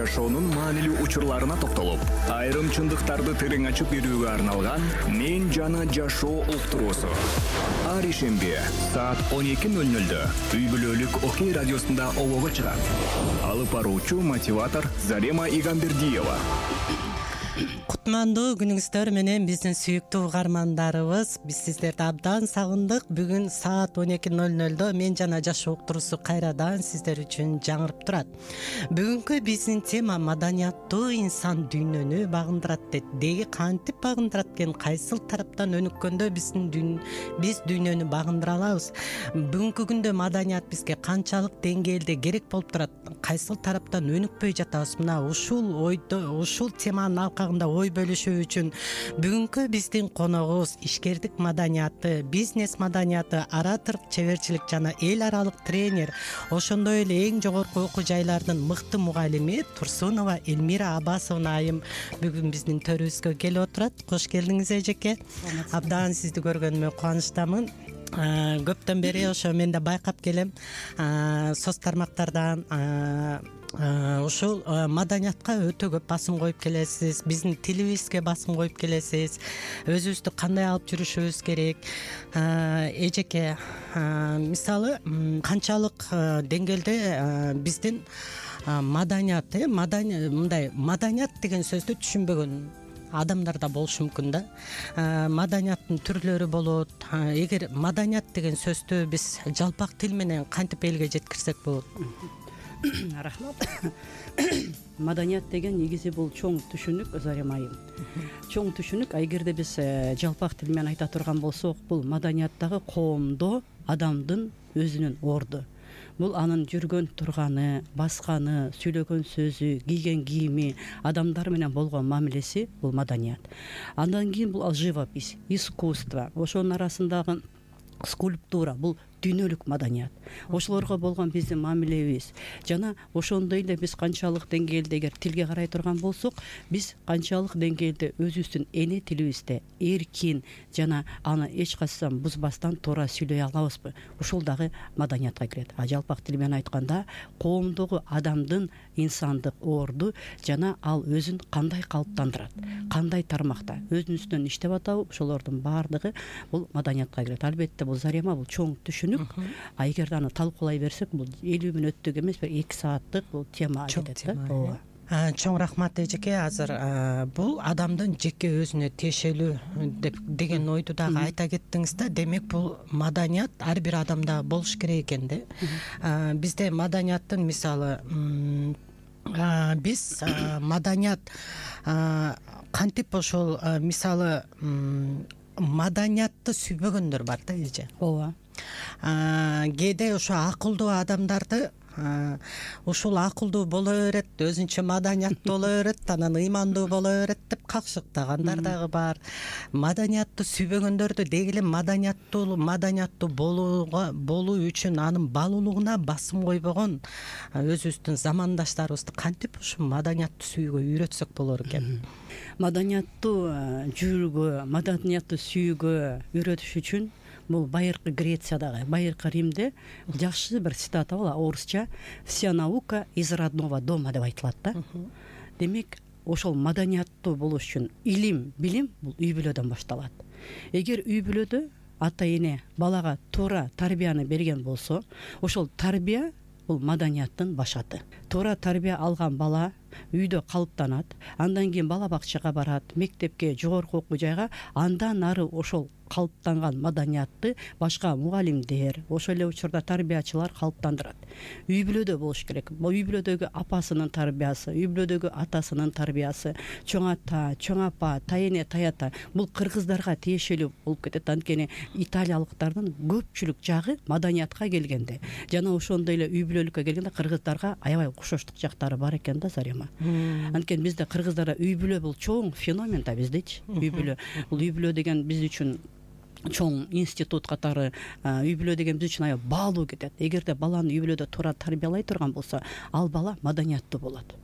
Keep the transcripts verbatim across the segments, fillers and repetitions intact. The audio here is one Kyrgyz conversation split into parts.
жашоонун маанилүү учурларына токтолуп, айрым чындыктарды терең ачып берүүгө арналган «Мен жана жашоо» уктуруусу. Ар ишемби саат он эки ноль нольдө үй бүлөлүк Окей радиосунда обого чыгат. Алып баруучу мотиватор Зарема Игамбердиева. Кутмандуу күнүңүздөр менен биздин сүйүктүү угармандарыбыз. Биз сиздерди абдан сагындык. Бүгүн саат он эки ноль нольдо «Мен жана жашоо» уктуруусу кайрадан сиздер үчүн жаңырып турат. Бүгүнкү биздин тема маданияттуу инсан дүйнөнү багындырат дейт. Деги кантип багындырат экен, кайсыл тараптан өнүккөндө биздин дүйн биз дүйнөнү багындыра алабыз? Бүгүнкү күндө маданият бизге канчалык деңгээлде керек болуп турат? Кайсыл тараптан өнүкпөй жатабыз? Мына ушул ойдо, ушул теманын алкагында ой бөлүшүү үчүн бүгүнкү биздин коногубуз ишкердик маданияты, бизнес маданияты, ораторлук, чеберчилик жана эл аралык тренер, ошондой эле эң жогорку окуу жайлардын мыкты мугалими Турсунова Элмира Аббасовна айым бүгүн биздин төрүбүзгө келип отурат. Кош келдиңиз эжеке. Абдан сизди көргөнүмө кубанычтамын. Көптөн бери ошо мен да байкап келем. Соц тармактардан ушул маданиятка өтө көп басым коюп келесиз. Биздин тилибизге басым коюп келесиз. Өзүбүздү кандай алып жүрүшүбүз керек? Эжеке, мисалы канчалык деңгээлде биздин маданият, мындай маданият деген сөздү түшүнбөгөн адамдар да болушу мүмкүн да. Маданияттын түрлөрү болот. Эгер маданият деген сөздү биз жалпак тил менен кантип элге жеткирсек болот? Рахмат. Маданият деген негизи бул чоң түшүнүк, Зарема айым. Чоң түшүнүк. Эгерде биз жалпак тил менен айта турган болсок, бул маданияттагы коомдо адамдын өзүнүн орду. Бул анын жүргөн турганы, басканы, сүйлөгөн сөзү, кийген кийими, адамдар менен болгон мамилеси бул маданият. Андан кийин бул живопись, искусство, ошонун арасындагы скульптура, бул дүйнөлүк маданият. Ошолорго болгон биздин мамилебиз жана ошондой эле биз канчалык деңгээлде эгер тилге карай турган болсок, биз канчалык деңгээлде өзүбүздүн эне тилибизде эркин жана аны эч качан бузбастан туура сүйлөй алабызбы? Ушул дагы маданиятка кирет. А жалпак тил менен айтканда, коомдогу адамдын инсандык орду жана ал өзүн кандай калыптандырат, кандай тармакта өзүнүн үстүнөн иштеп атабы, ошолордун баардыгы бул маданиятка кирет. Албетте бул Зарема бул чоң түшүнүк. А эгерде аны талкуулай берсек, бул элүү мүнөттүк эмес, бир эки сааттык бул тема кетет да. Чоң рахмат эжеке. Азыр бул адамдын жеке өзүнө тиешелүү деп деген ойду дагы айта кеттиңиз да. Демек бул маданият ар бир адамда болуш керек экен да. Бизде маданияттын мисалы биз маданият кантип ошол мисалы маданиятты сүйбөгөндөр бар да эже. Ооба. Кээде ошо акылдуу адамдарды ушул акылдуу боло берет, өзүнчө маданияттуу боло берет, анан ыймандуу боло берет деп какшыктагандар дагы бар. Маданиятты сүйбөгөндөрдү деги эле маданияттуу маданияттуу болууга болуу үчүн анын балуулугуна басым койбогон өзүбүздүн замандаштарыбызды кантип ушул маданиятты сүйүүгө үйрөтсөк болор экен? Маданияттуу жүрүүгө, маданиятты сүйүүгө үйрөтүш үчүн бул байыркы Грециядагы, байыркы Римде жакшы бир цитата бар, орусча «Вся наука из родного дома» деп айтылат да. Демек, ошол маданияттуу болуш үчүн илим, билим бул үй бүлөдөн башталат. Эгер үй бүлөдө ата эне балага туура тарбияны берген болсо, ошол тарбия бул маданияттын башаты. Туура тарбия алган бала үйдө калыптанат, андан кийин бала бакчага барат, мектепке, жогорку окуу жайга, андан ары ошол калыптанган маданиятты башка мугалимдер, ошол эле учурда тарбиячылар калыптандырат. Үй бүлөдө болуш керек. Бул үй бүлөдөгү апасынын тарбиясы, үй бүлөдөгү атасынын тарбиясы, чоң ата, чоң апа, тайэне, тайата бул кыргыздарга тиешелүү болуп кетет. Анткени италиялыктардын көпчүлүк жагы маданиятка келгенде жана ошондой эле үй бүлөлүккө келгенде кыргыздарга аябай окшоштук жактары бар экен да, Зарема. Анткени бизде кыргыздарда үй бүлө бул чоң феномен да биздечи. Үй бүлө бул үй бүлө деген биз үчүн чоң институт катары үй бүлө деген биз үчүн аябай баалуу кетет. Эгерде баланы үй бүлөдө туура тарбиялай турган болсо, ал бала маданияттуу болот.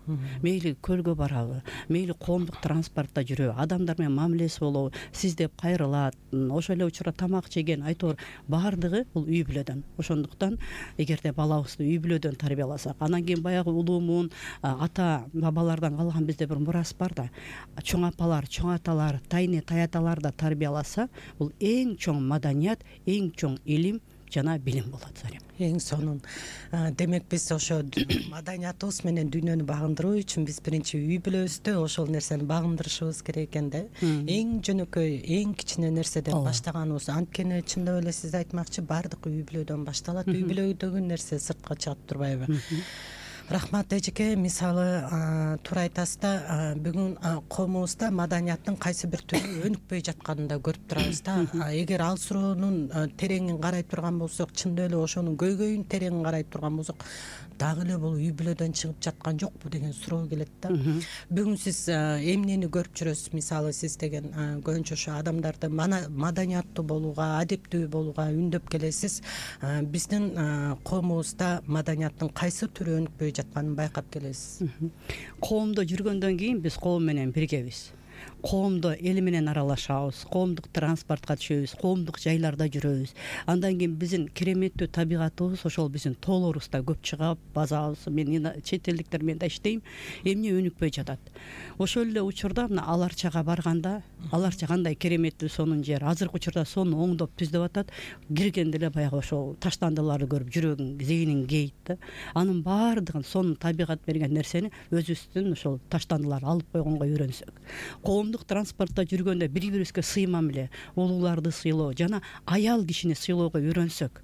Мейли көлгө барабы, мейли коомдук транспортто жүрөбү, адамдар менен мамилеси болобу, сиздеп кайрылат, ошол эле учурда тамак жеген, айтор баардыгы бул үй бүлөдөн. Ошондуктан эгерде балабызды үй бүлөдөн тарбияласак, анан кийин баягы улуумун ата бабалардан калган бизде бир мурас бар да, чоң апалар, чоң аталар, тайне таяталар да тарбияласа, бул эң чоң маданият, эң чоң илим жана билим болот. Зарим эң сонун. Демек биз ошо маданиятыбыз менен дүйнөнү багындыруу үчүн биз биринчи үй бүлөбүздө ошол нерсени багындырышыбыз керек экен да. Эң жөнөкөй, эң кичине нерседен баштаганыбыз. Анткени чындап эле сиз айтмакчы, баардык үй бүлөдөн башталат. Үй бүлөдөгү нерсе сыртка чыгып турбайбы? Рахмат эжеке, мисалы туура айтасыз да, бүгүн коомубузда маданияттын кайсы бир түрү өнүкпөй жатканын да көрүп турабыз да. Эгер ал суроонун тереңин карай турган болсок, чындап эле ошонун көйгөйүн тереңин карай турган болсок, дагы эле бул үй бүлөдөн чыгып жаткан жокпу деген суроо келет да. Бүгүн сиз эмнени көрүп жүрөсүз? Мисалы сиз деген көбүнчө ошо адамдарды маданияттуу болууга, адептүү болууга үндөп келесиз. Биздин коомубузда маданияттын кайсы түрү өнүкпөй жатканын байкап келесиз. Коомдо жүргөндөн кийин биз коом менен биргебиз. Коомдо эл менен аралашабыз, коомдук транспортко түшөбүз, коомдук жайларда жүрөбүз. Андан кийин биздин кереметтүү табигатыбыз ошол биздин тоолорубузда көп чыгып, базабыз, мен чет элдиктер менен да иштейм, эмне өнүкпөй жатат. Ошол эле учурда мына Аларчага барганда, Аларча кандай кереметтүү сонун жер. Азыркы учурда сону оңдоп түздөп атат. Киргенде эле баягы ошол таштандыларды көрүп жүрөгүң, зейниң кейит да. Анын баардыгын, сонун табигат берген нерсени өзүбүздүн ошол таштандылар алып койгонго үйрөнсөк. Коомдук транспортто жүргөндө бири-бирибизге сый мамиле, улууларды сыйлоо жана аял кишини сыйлоого үйрөнсөк.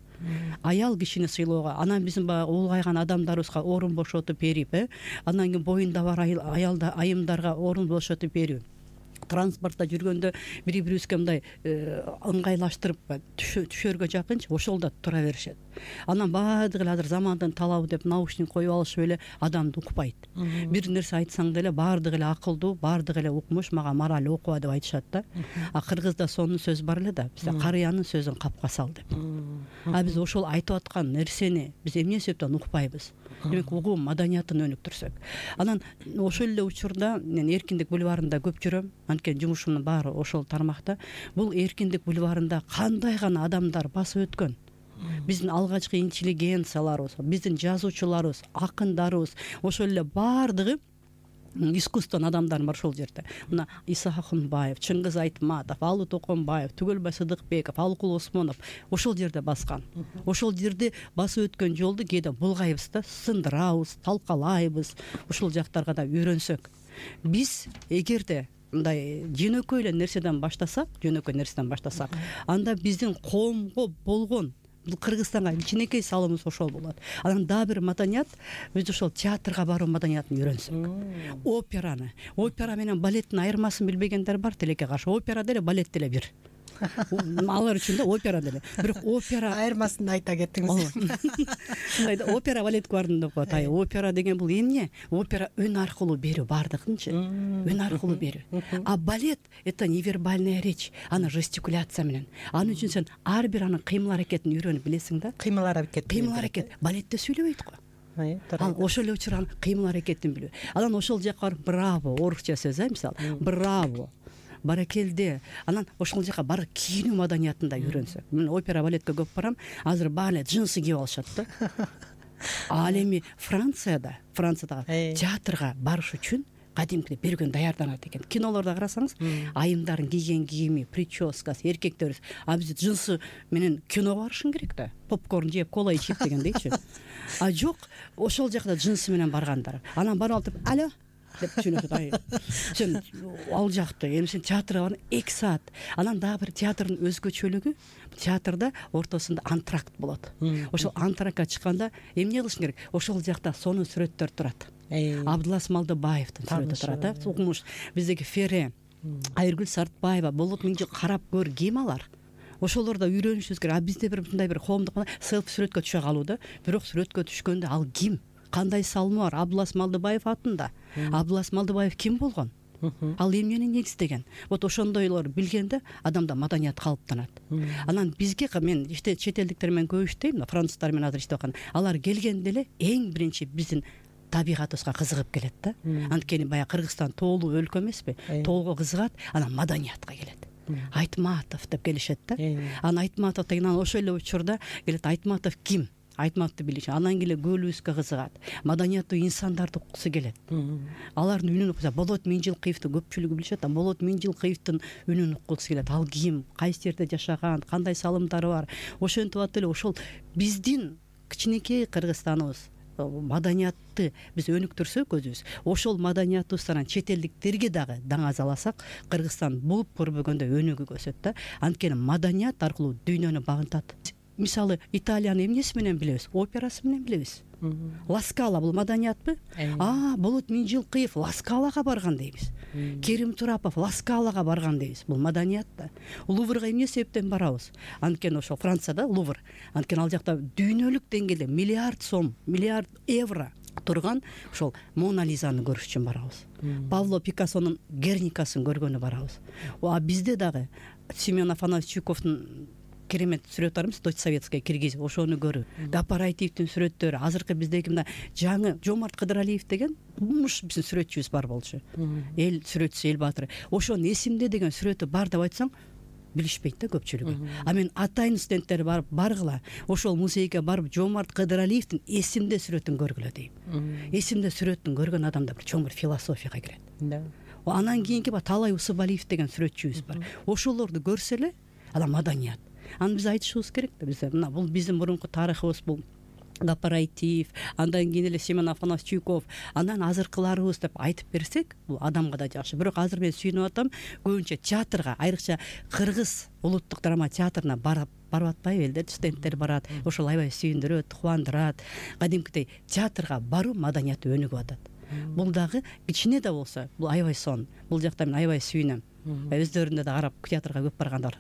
Аял кишини сыйлоого, анан биздин баягы улгайган адамдарыбызга орун бошотуп берип, э, андан кийин боюнда бар аялда айымдарга орун бошотуп берип, транспортто жүргөндө бири-бирибизге мындай ыңгайлаштырып түшөргө жакынчы ошол да тура беришет. Анан баардыгы эле азыр замандын талабы деп наушник коюп алышып эле адамды укпайт. Бир нерсе айтсаң деле баардыгы эле акылдуу, баардыгы эле укмуш, мага мораль окуба деп айтышат да. А кыргызда сонун сөз бар эле да, бизде карыянын сөзүн капка сал деп. А биз ошол айтып аткан нерсени биз эмне себептен укпайбыз? Демек угуу маданиятын өнүктүрсөк. Анан ошол эле учурда мен Эркиндик бульварында көп жүрөм. Анткени жумушумдун баары ошол тармакта. Бул Эркиндик бульварында кандай гана адамдар басып өткөн. Биздин алгачкы интеллигенцияларыбыз, биздин жазуучуларыбыз, акындарыбыз, ошол эле баардыгы искусствонун адамдары бар ошол жерде. Мына Иса Акунбаев, Чыңгыз Айтматов, Алы Токонбаев, Түгөлбай Сыдыкбеков, Алыкул Осмонов ошол жерде баскан. Ошол жерде басып өткөн жолду кээде булгайбыз да, сындырабыз, талкалайбыз. Ошол жактарга да үйрөнсөк. Биз эгерде мындай жөнөкөй эле нерседен баштасак, жөнөкөй нерседен баштасак, анда биздин коомго болгон бул Кыргызстанга кичинекей салымыбыз ошол болот. Анан дагы бир маданият, биз ошол театрга баруу маданиятын үйрөнсөк. Операны, опера менен балеттин айырмасын билбегендер бар тилекке каршы. Опера деле, балет деле бир. Алар үчүн да опера деле. Бирок опера айырмасын айта кеттиңиз. Мындай опера балетке бардым деп коет. Ай, опера деген бул эмне? Опера өн аркылуу берүү бардыгынчы. Өн аркылуу берүү. А балет это невербальная речь, аны жестикуляция менен. Анын үчүн сен ар бир анын кыймыл аракетин үйрөнүп билесиң да. Кыймыл аракет. Кыймыл аракет. Балетте сүйлөбөйт го. Ал ошол эле учурда кыймыл аракетин билүү. Анан ошол жакка барып браво, орусча сөз, э, мисалы, браво. Баракелде. Анан ошол жака бар кийинүү маданиятында үйрөнсөк. Мен опера балетке көп барам. Азыр баары джинсы кийип алышат да. Ал эми Францияда, Франциядагы театрга барыш үчүн кадимки бир күн даярданат экен. Кинолордо карасаңыз, айымдардын кийген кийими, прическасы, эркектерибиз, а биз джинсы менен киного барышың керек да. Попкорн жеп, кола ичип дегендейчи. А жок, ошол жакта джинсы менен баргандар. Анан барып алып, алло деп түшүнөт. Ай, сен ал жакты, эми сен театрга бар эки саат. Анан дагы бир театрдын өзгөчөлүгү, театрда ортосунда антракт болот. Ошол антрактка чыкканда эмне кылышың керек? Ошол жакта сонун сүрөттөр турат. Абдулас Малдыбаевдин сүрөтү турат. Укмуш биздеги Фере, Айыргүл Сартбаева, Болот Миңжи, карап көр, ким алар? Ошолордо үйрөнүшүбүз керек. А бизде бир мындай бир коомдук селфи сүрөткө түшө калууда. Бирок сүрөткө түшкөндө ал ким? Кандай салмы бар? Абдулас Малдыбаев атында. Абдулас Малдыбаев ким болгон? ал эмнени негиздеген? Вот ошондойлор билгенде адамда маданият калыптанат. Анан бизге мен иште чет элдиктер менен көп иштейм, француздар менен азыр иштеп аткан. Алар келгенде эле эң биринчи биздин табигатыбызга кызыгып келет да. Анткени баягы Кыргызстан тоолуу өлкө эмеспи? Тоого кызыгат, анан маданиятка келет. Айтматов деп келишет да. Анан Айтматов деген ошол эле учурда келет. Айтматов ким? Айтматовду билиш. Анан келе көөлүбүзгө кызыгат. Маданияттуу инсандарды уккусу келет. Алардын үнүн укса, Болот Миңжилкыевди көпчүлүгү билишет. Болот Миңжилкыевдин үнүн уккусу келет. Ал ким? Кайсы жерде жашаган? Кандай салымдары бар? Ошентип атып эле ошол биздин кичинекей Кыргызстаныбыз маданиятты биз өнүктүрсөк өзүбүз, ошол маданиятыбыздан чет элдиктерге дагы даңазаласак, Кыргызстан булуп көрбөгөндө өнүгүп өсөт да. Анткени маданият аркылуу дүйнөнү багынтат. Мисалы, Италияны эмнеси менен билебиз? Операсы менен билебиз. Ла Скала бул маданиятпы? А, Болот Миңжилкыев Ла Скалага барган дейбиз. Керим Турапов Ла Скалага барган дейбиз. Бул маданият да. Луврга эмне себептен барабыз? Анткени ошол Францияда Лувр. Анткени ал жакта дүйнөлүк деңгээлде миллиард сом, миллиард евро турган ошол Мона Лизаны көрүш үчүн барабыз. Павло Пикассонун Герникасын көргөнү барабыз. А бизде дагы Семен Афанасьевич Чуйковдун керемет сүрөт бармыз, Дочь советская киргизип, ошону көрүп. Гапараитивдин сүрөттөрү, азыркы биздеги мына жаңы Жомарт Кыдыралиев деген муш биздин сүрөтчүбүз бар болчу. Эл сүрөтчүсү, эл баатыры. Ошонун эсимде деген сүрөтү бар деп айтсаң, билишпейт да көпчүлүгү. А мен атайын студенттер барып баргыла, ошол музейге барып Жомарт Кыдыралиевдин эсимде сүрөтүн көргүлө дейм. Эсимде сүрөтүн көргөн адамда бир чоң бир философияга кирет. Да. Анан кийинки бар Талай Усубалиев деген сүрөтчүбүз бар. Ошолорду көрсө эле, ала маданият. Аны биз айтышыбыз керек да. Биз мына бул биздин мурунку тарыхыбыз, бул Гапараитив, андан кийин эле Семен Афанасьевич Чуйков, андан азыркыларыбыз деп айтып берсек, бул адамга да жакшы. Бирок азыр мен сүйүнүп атам, көбүнчө театрга, айрыкча Кыргыз улуттук драма театрына барып барып атпайбы элдер, студенттер барат. Ошол аябай сүйүндүрөт, кубандырат. Кадимкидей театрга баруу маданияты өнүгүп атат. Бул дагы кичине да болсо, бул аябай сон. Бул жакта мен аябай сүйүнөм. Өздөрүндө да карап театрга көп баргандар.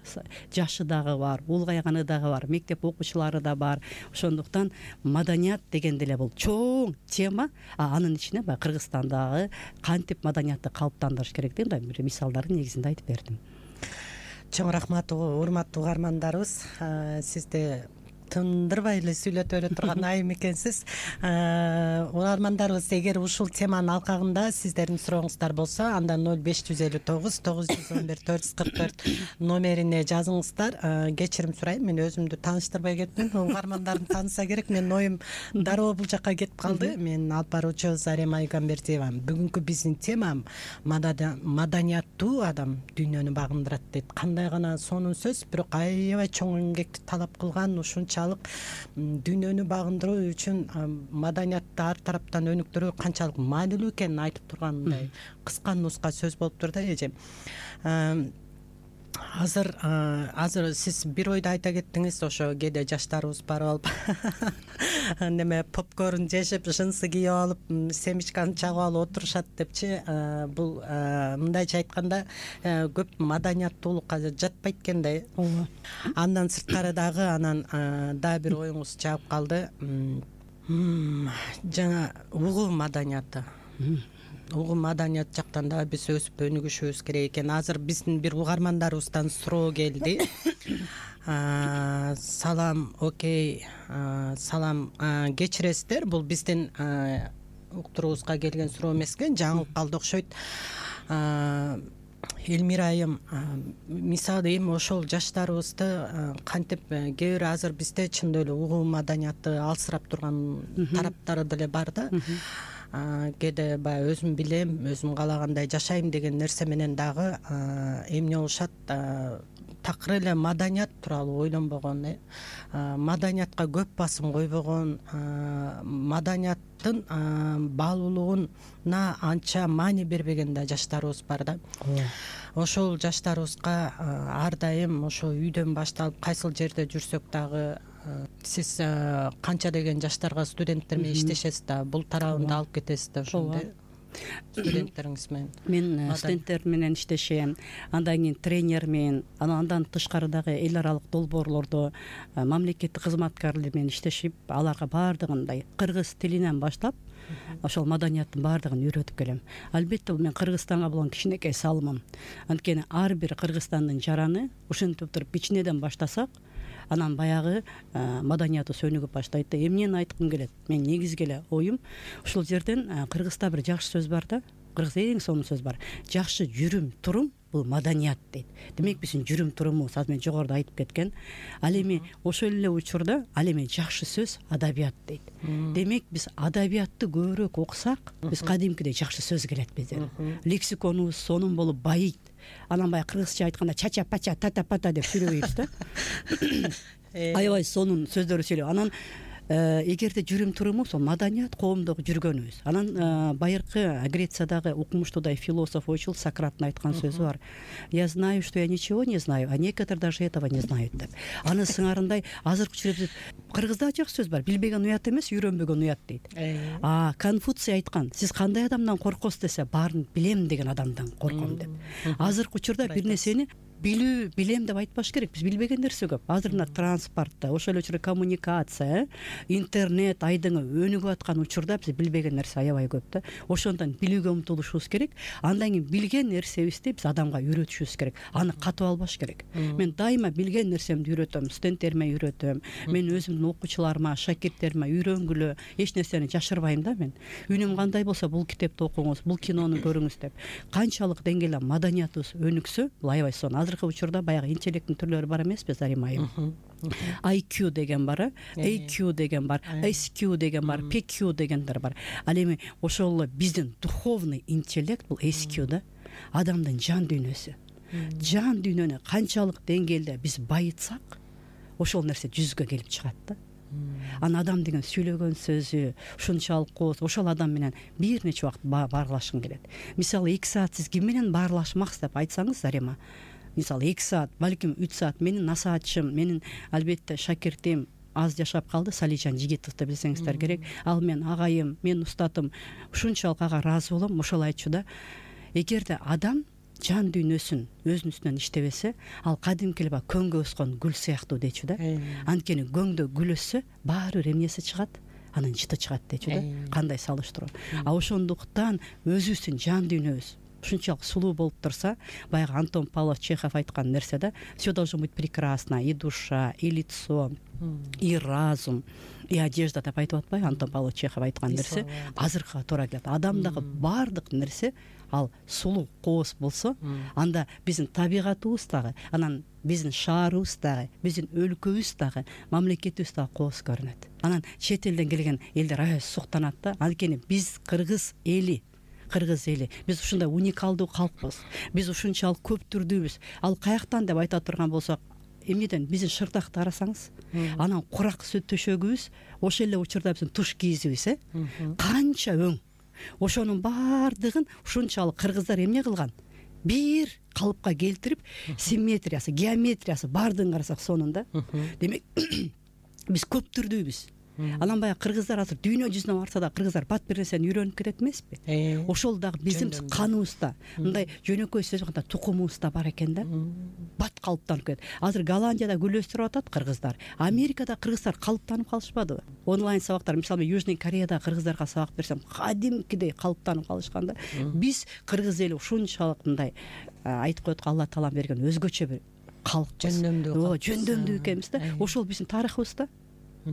Жашы дагы бар, улгайганы дагы бар, мектеп окуучулары да бар. Ошондуктан маданият дегенде эле бул чоң тема, а анын ичине баягы Кыргызстандагы кантип маданиятты калыптандырыш керек деген бир мисалдардын негизинде айтып бердим. Чоң рахмат, урматтуу угармандарыбыз. Сизди тындырбай эле сүйлөтө бере турган айым экенсиз. Угармандарыбыз, эгер ушул теманын алкагында сиздердин сурооңуздар болсо, анда ноль беш жүз элүү тогуз тогуз жүз он бир төрт жүз кырк төрт номерине жазыңыздар. Кечирим сурайм, мен өзүмдү тааныштырбай кеттим. Угармандардын тааныса керек. Менин оюм дароо бул жака кетип калды. Мен алып баруучу Зарема Айгамбердиева. Бүгүнкү биздин тема маданияттуу адам дүйнөнү багындырат дейт. Кандай гана сонун сөз, бирок аябай чоң эмгекти талап кылган, ушунча дүйнөнү багындыруу үчүн маданиятты ар тараптан өнүктүрүү канчалык маанилүү экенин айтып тургандай кыска нуска сөз болуптур да эже. Азыр азыр сиз бир ойду айта кеттиңиз, ошо кээде жаштарыбыз барып алып неме попкорн жешип, жынсы кийип алып, семечканы чагып алып отурушат депчи. Бул мындайча айтканда көп маданияттуулукка жатпайт экен да. Андан сырткары дагы анан дагы бир оюңуз чагып калды. Жана угуу маданияты. Угуу маданият жактан дагы биз өсүп өнүгүшүбүз керек экен. Азыр биздин бир угармандарыбыздан суроо келди. Салам, окей, салам, кечиресиздер, бул биздин уктуруубузга келген суроо эмес экен, жаңылып калды окшойт. Элмира айым, мисалы эми ошол жаштарыбызды кантип, кээ бир азыр бизде чындап эле угуу маданияты алсырап турган тараптары деле бар да. Кээде баягы өзүм билем, өзүм каалагандай жашайм деген нерсе менен дагы эмне болушат, такыр эле маданият тууралуу ойлонбогон, маданиятка көп басым койбогон, маданияттын баалуулугуна анча маани бербеген да жаштарыбыз бар да. Ошол жаштарыбызга ар дайым ошо үйдөн башталып, кайсыл жерде жүрсөк дагы, сиз канча деген жаштарга студенттер менен иштешесиз да, бул тарабында алып кетесиз да ошондой студенттериңиз менен? Мен студенттер менен иштешем, андан кийин тренермен, андан тышкары дагы эл аралык долбоорлордо мамлекеттик кызматкерлер менен иштешип, аларга баардыгындай кыргыз тилинен баштап ошол маданияттын баардыгын үйрөтүп келем. Албетте бул мен Кыргызстанга болгон кичинекей салымым. Анткени ар бир Кыргызстандын жараны ушинтип туруп кичинеден баштасак, анан баягы маданиятыбыз өнүгүп баштайт да. Эмнени айткым келет? Мен негизги эле оюм ушул жерден кыргызда бир жакшы сөз бар да. Кыргызда эң сонун сөз бар. Жакшы жүрүм турум бул маданият дейт. Демек биздин жүрүм турумубуз азыр мен жогоруда айтып кеткен. Ал эми ошол эле учурда ал эми жакшы сөз адабият дейт. Демек биз адабиятты көбүрөөк окусак, биз кадимкидей жакшы сөз келет бизден. Лексиконубуз сонун болуп байыйт. Анан баягы кыргызча айтканда чача пача тата пата деп сүйлөбөйбүз да. Аябай сонун сөздөрдү сүйлөп. Анан эгерде жүрүм туруму сол маданият коомдогу жүргөнүбүз. Анан байыркы Грециядагы укмуштуудай философ ойчул Сократтын айткан сөзү бар. Я знаю, что я ничего не знаю, а некоторые даже этого не знают деп. Аны сыңарындай азыркы учурда кыргызда жакшы сөз бар. Билбеген уят эмес, үйрөнбөгөн уят дейт. А Конфуций айткан, сиз кандай адамдан коркосуз десе, баарын билем деген адамдан корком деп. Азыркы учурда бир нерсени билүү, билем деп айтпаш керек. Биз билбеген нерсе көп. Азыр мына транспортта, ошол эле учурда коммуникация, интернет айдыңы өнүгүп аткан учурда биз билбеген нерсе аябай көп да. Ошондон билүүгө умтулушубуз керек. Андан кийин билген нерсебизди биз адамга үйрөтүшүбүз керек. Аны катып албаш керек. Мен дайыма билген нерсемди үйрөтөм, студенттериме үйрөтөм. Мен өзүмдүн окуучуларыма, шакирттериме үйрөнгүлө эч нерсени жашырбайм да мен. Үнүм кандай болсо бул китепти окуңуз, бул кинону көрүңүз деп. Канчалык деңгээлде маданиятыбыз өнүксө, бул аябай сонун. Азыркы учурда баягы интеллекттин түрлөрү бар эмеспи, Зарим айым? ай кью деген бар, эй кью деген бар, эс кью деген бар, пи кью дегендер бар. Ал эми ошол биздин духовный интеллект бул эс кью да. Адамдын жан дүйнөсү. Жан дүйнөнү канчалык деңгээлде биз байытсак, ошол нерсе жүзгө келип чыгат да. Анан адам деген сүйлөгөн сөзү ушунчалык кооз, ошол адам менен бир нече убакыт баарлашкың келет. Мисалы эки саат сиз ким менен баарлашмаксыз деп айтсаңыз, Зарима, мисалы эки саат, балким үч саат менин насаатчым, менин албетте шакиртим аз жашап калды, Салижан Жигитовду билсеңиздер керек. Ал мен агайым, мен устатым, ушунчалык ага ыраазы болом. Ошол айтчу да, эгерде адам жан дүйнөсүн өзүнүн үстүнөн иштебесе, ал кадимки эле көңгө өскөн гүл сыяктуу дейчү да. Анткени көңдө гүл өссө, баары бир эмнеси чыгат, анын жыты чыгат дейчү да. Кандай салыштыруу. А ошондуктан өзүбүздүн жан дүйнөбүз ушунчалык сулуу болуп турса, баягы Антон Павлович Чехов айткан нерсе да, все должно быть прекрасно, и душа, и лицо, и разум, и одежда деп айтып атпайбы Антон Павлович Чехов айткан нерсе азыркыга туура келет. Адамдагы баардык нерсе ал сулуу кооз болсо, анда биздин табигатыбыз дагы, анан биздин шаарыбыз дагы, биздин өлкөбүз дагы, мамлекетибиз дагы кооз көрүнөт. Анан чет элден келген элдер аябай суктанат да. Анткени биз кыргыз эли Кыргыз эли, биз ушундай уникалдуу калкпыз. Биз ушунчалык көп түрдүүбүз. Ал каяктан деп айта турган болсок, эмнеден биздин шырдакты карасаңыз, анан курак сүт төшөгүбүз, ошол эле учурда биздин туш кийизибиз, э? Канча өң. Ошонун баардыгын ушунчалык кыргыздар эмне кылган? Бир калыпка келтирип, симметриясы, геометриясы баардыгын карасак сонун да. Демек, биз көп түрдүүбүз. Анан баягы кыргыздар азыр дүйнө жүзүнө барса да кыргыздар бат бир нерсени үйрөнүп кетет эмеспи? Ошол дагы биздин каныбызда, мындай жөнөкөй сөз айтканда тукумубузда бар экен да. Бат калыптанып кетет. Азыр Голландияда гүл өстүрүп атат кыргыздар. Америкада кыргыздар калыптанып калышпадыбы? Онлайн сабактар, мисалы Южный Кореяда кыргыздарга сабак берсем, кадимкидей калыптанып калышканда, биз кыргыз эли ушунчалык мындай айтып коет, Алла таалам берген өзгөчө бир калкпыз. Жөндөмдүү, жөндөмдүү экенбиз да. Ошол биздин тарыхыбызда.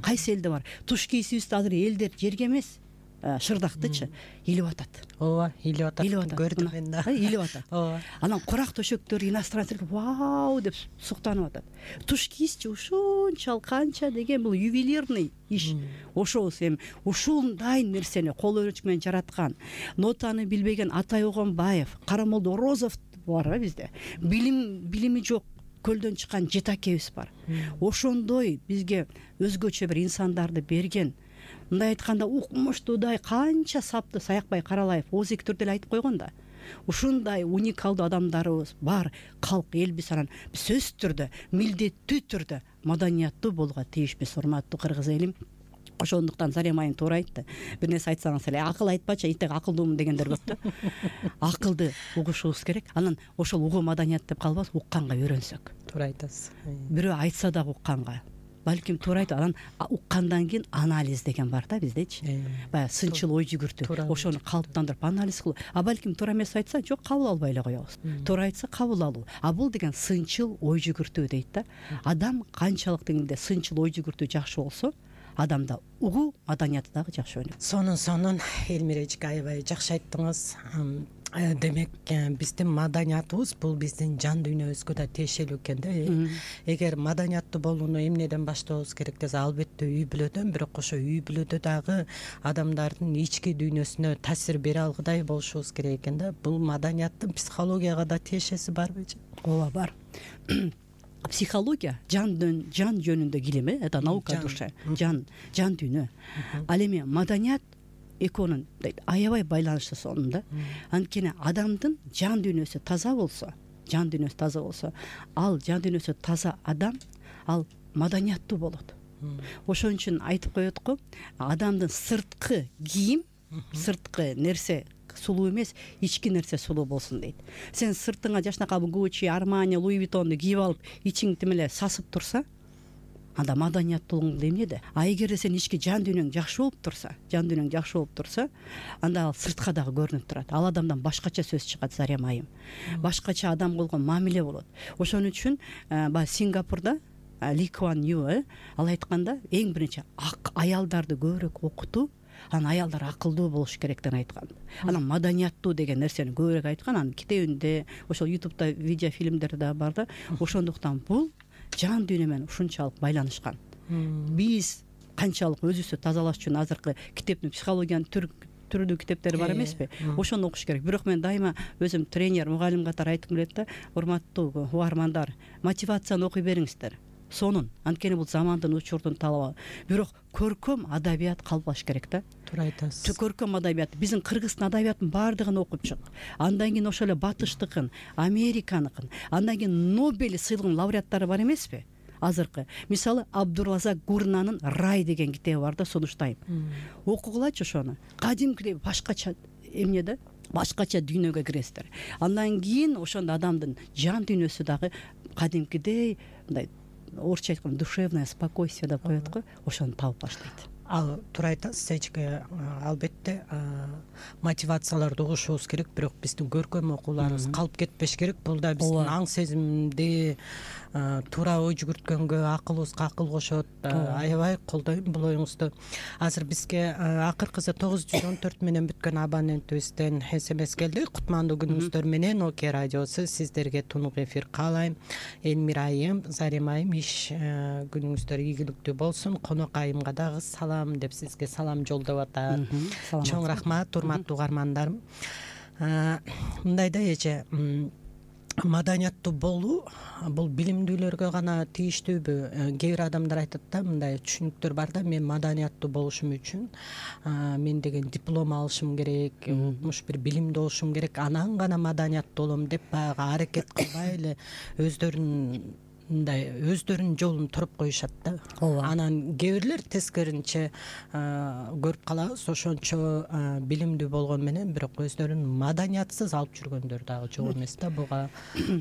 Кайсы элде бар? Туш кийисибизди азыр элдер жерге эмес, шырдактычы илип атат. Ооба, илип атат. Көрдүм мен да. Илип атат. Ооба. Анан курак төшөктөр иностранцтер вау деп суктанып атат. Туш кийисчи ушунчалык канча деген бул ювелирный иш. Ошобуз эми ушундай нерсени кол өрөчү менен жараткан, нотаны билбеген Атай Огонбаев, Карамолдо Орозов бар бизде. Билим билими жок көлдөн чыккан жетакебиз бар. Ошондой бизге өзгөчө бир инсандарды берген. Мындай айтканда укмуштуудай канча сапты Саякбай Каралаев ооз эки түрдө эле айтып койгон да. Ушундай уникалдуу адамдарыбыз бар калк элбиз. Анан сөзсүз түрдө, милдеттүү түрдө маданияттуу болууга тийишпиз, урматтуу кыргыз элим. Ошондуктан Зарим айым туура айтты. Бир нерсе айтсаңыз эле акыл айтпачы, итек акылдуумун дегендер көп да. Акылды угушубуз керек. Анан ошол угуу маданият деп калбас, укканга үйрөнсөк. Туура айтасыз. Бирөө айтса дагы укканга. балким туура айтып анан уккандан кийин анализ деген бар да биздечи, баягы сынчыл ой жүгүртүү, ошону калыптандырып анализ кылуу. А балким туура эмес айтса, жок кабыл албай эле коебуз. Туура айтса кабыл алуу. А бул деген сынчыл ой жүгүртүү дейт да. Адам канчалык деңгээлде сынчыл ой жүгүртүү жакшы болсо, адамда угуу маданияты дагы жакшы өнүгөт. Сонун сонун Элмира эжеке аябай жакшы айттыңыз. Демек биздин маданиятыбыз бул биздин жан дүйнөбүзгө да тиешелүү экен да. Эгер маданияттуу болууну эмнеден баштообуз керек десе, албетте үй бүлөдөн, бирок ошо үй бүлөдө дагы адамдардын ички дүйнөсүнө таасир бере алгыдай болушубуз керек экен да. Бул маданияттын психологияга да тиешеси барбы? Ооба, бар. Психология жан жан жөнүндөгү илим, это наука души, жан жан дүйнө. Ал эми маданият экөөнүн аябай байланыштуу сонунда. Анткени адамдын жан дүйнөсү таза болсо, жан дүйнөсү таза болсо, ал жан дүйнөсү таза адам, ал маданияттуу болот. Ошон үчүн айтып коет го, адамдын сырткы кийим, сырткы нерсе сулуу эмес, ички нерсе сулуу болсун дейт. Сен сыртыңа жашнакабы Гуччи, Армани, Луи Виттонду кийип алып, ичиң тим эле сасып турса, анда маданияттуулугуң эмнеде? А эгерде сен ички жан дүйнөң жакшы болуп турса, жан дүйнөң жакшы болуп турса, анда ал сыртка дагы көрүнүп турат. Ал адамдан башкача сөз чыгат, Зарем айым. Башкача адам болгон мамиле болот. Ошон үчүн баягы Сингапурда Ли Куан Ю ал айтканда, эң биринчи аялдарды көбүрөөк окутуу, анан аялдар акылдуу болуш керек деп айткан. Анан маданияттуу деген нерсени көбүрөөк айткан. Анын китебинде, ошол ютубта видео фильмдер да бар да. Ошондуктан бул жан дүйнө менен ушунчалык байланышкан. Биз канчалык өзүбүздү тазалаш үчүн азыркы китептин психологиянын түрдүү китептери бар эмеспи? Ошону окуш керек. Бирок мен дайыма өзүм тренер, мугалим катары айткым келет да, урматтуу угармандар, мотивацияны окуй бериңиздер. Сонун. Анткени бул замандын учурдун талабы. Бирок көркөм адабият калбаш керек да. Туура айтасыз. Көркөм адабият, биздин кыргыздын адабиятынын баардыгын окуп чык. Андан кийин ошол эле батыштыкын, Американыкын, андан кийин Нобель сыйлыгынын лауреаттары бар эмеспи? Азыркы, мисалы, Абдуразак Гурнанын Рай деген китеби бар да, сунуштайм. Окугулачы ошону. Кадимкидей башкача эмне да? Башкача дүйнөгө киресиздер. Андан кийин ошондо адамдын жан дүйнөсү дагы кадимкидей мындай орусча айтканда душевное спокойствие деп коет го, ошону табып баштайт. Ал туура айтасыз эжеке. Албетте мотивацияларды угушубуз керек, бирок биздин көркөм окууларыбыз калып кетпеш керек. Бул да биздин аң сезимди туура ой жүгүрткөнгө, акылыбызга акыл кошот. Аябай колдойм бул оюңузду. Азыр бизге акыркысы тогуз жүз он төрт менен бүткөн абонентибизден эс эм эс келди. Кутмандуу күнүңүздөр менен Оке радиосу сиздерге тунук эфир каалайм. Элмира айым, Зарем айым, иш күнүңүздөр ийгиликтүү болсун. Конок айымга дагы салам деп сизге салам жолдоп атат. Чоң рахмат, урматтуу угармандарым. Мындай да эже, маданияттуу болуу бул билимдүүлөргө гана тийиштүүбү? Кээ бир адамдар айтат да, мындай түшүнүктөр бар да, мен маданияттуу болушум үчүн мен деген диплом алышым керек, укмуш бир билимдүү болушум керек, анан гана маданияттуу болом деп баягы аракет кылбай эле өздөрүнүн мындай өздөрүнүн жолун туруп коюшат да. Анан кээ бирлер тескеринче көрүп калабыз, ошончо билимдүү болгон менен бирок өздөрүн маданиятсыз алып жүргөндөр дагы жок эмес да. Буга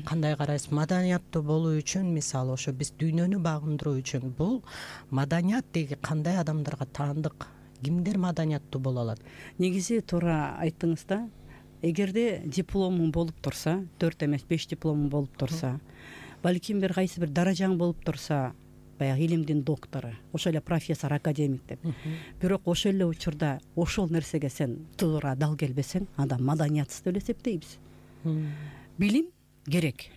кандай карайсыз? Маданияттуу болуу үчүн, мисалы, ошо биз дүйнөнү багындыруу үчүн бул маданият деги кандай адамдарга таандык? Кимдер маданияттуу боло алат? Негизи туура айттыңыз да. Эгерде дипломуң болуп турса, төрт эмес беш дипломуң болуп турса, балким бир кайсы бир даражаң болуп турса, баягы илимдин доктору, ошол эле профессор, академик деп. Бирок ошол эле учурда ошол нерсеге сен туура дал келбесең, анда маданиятсыз деп эсептейбиз. Билим керек.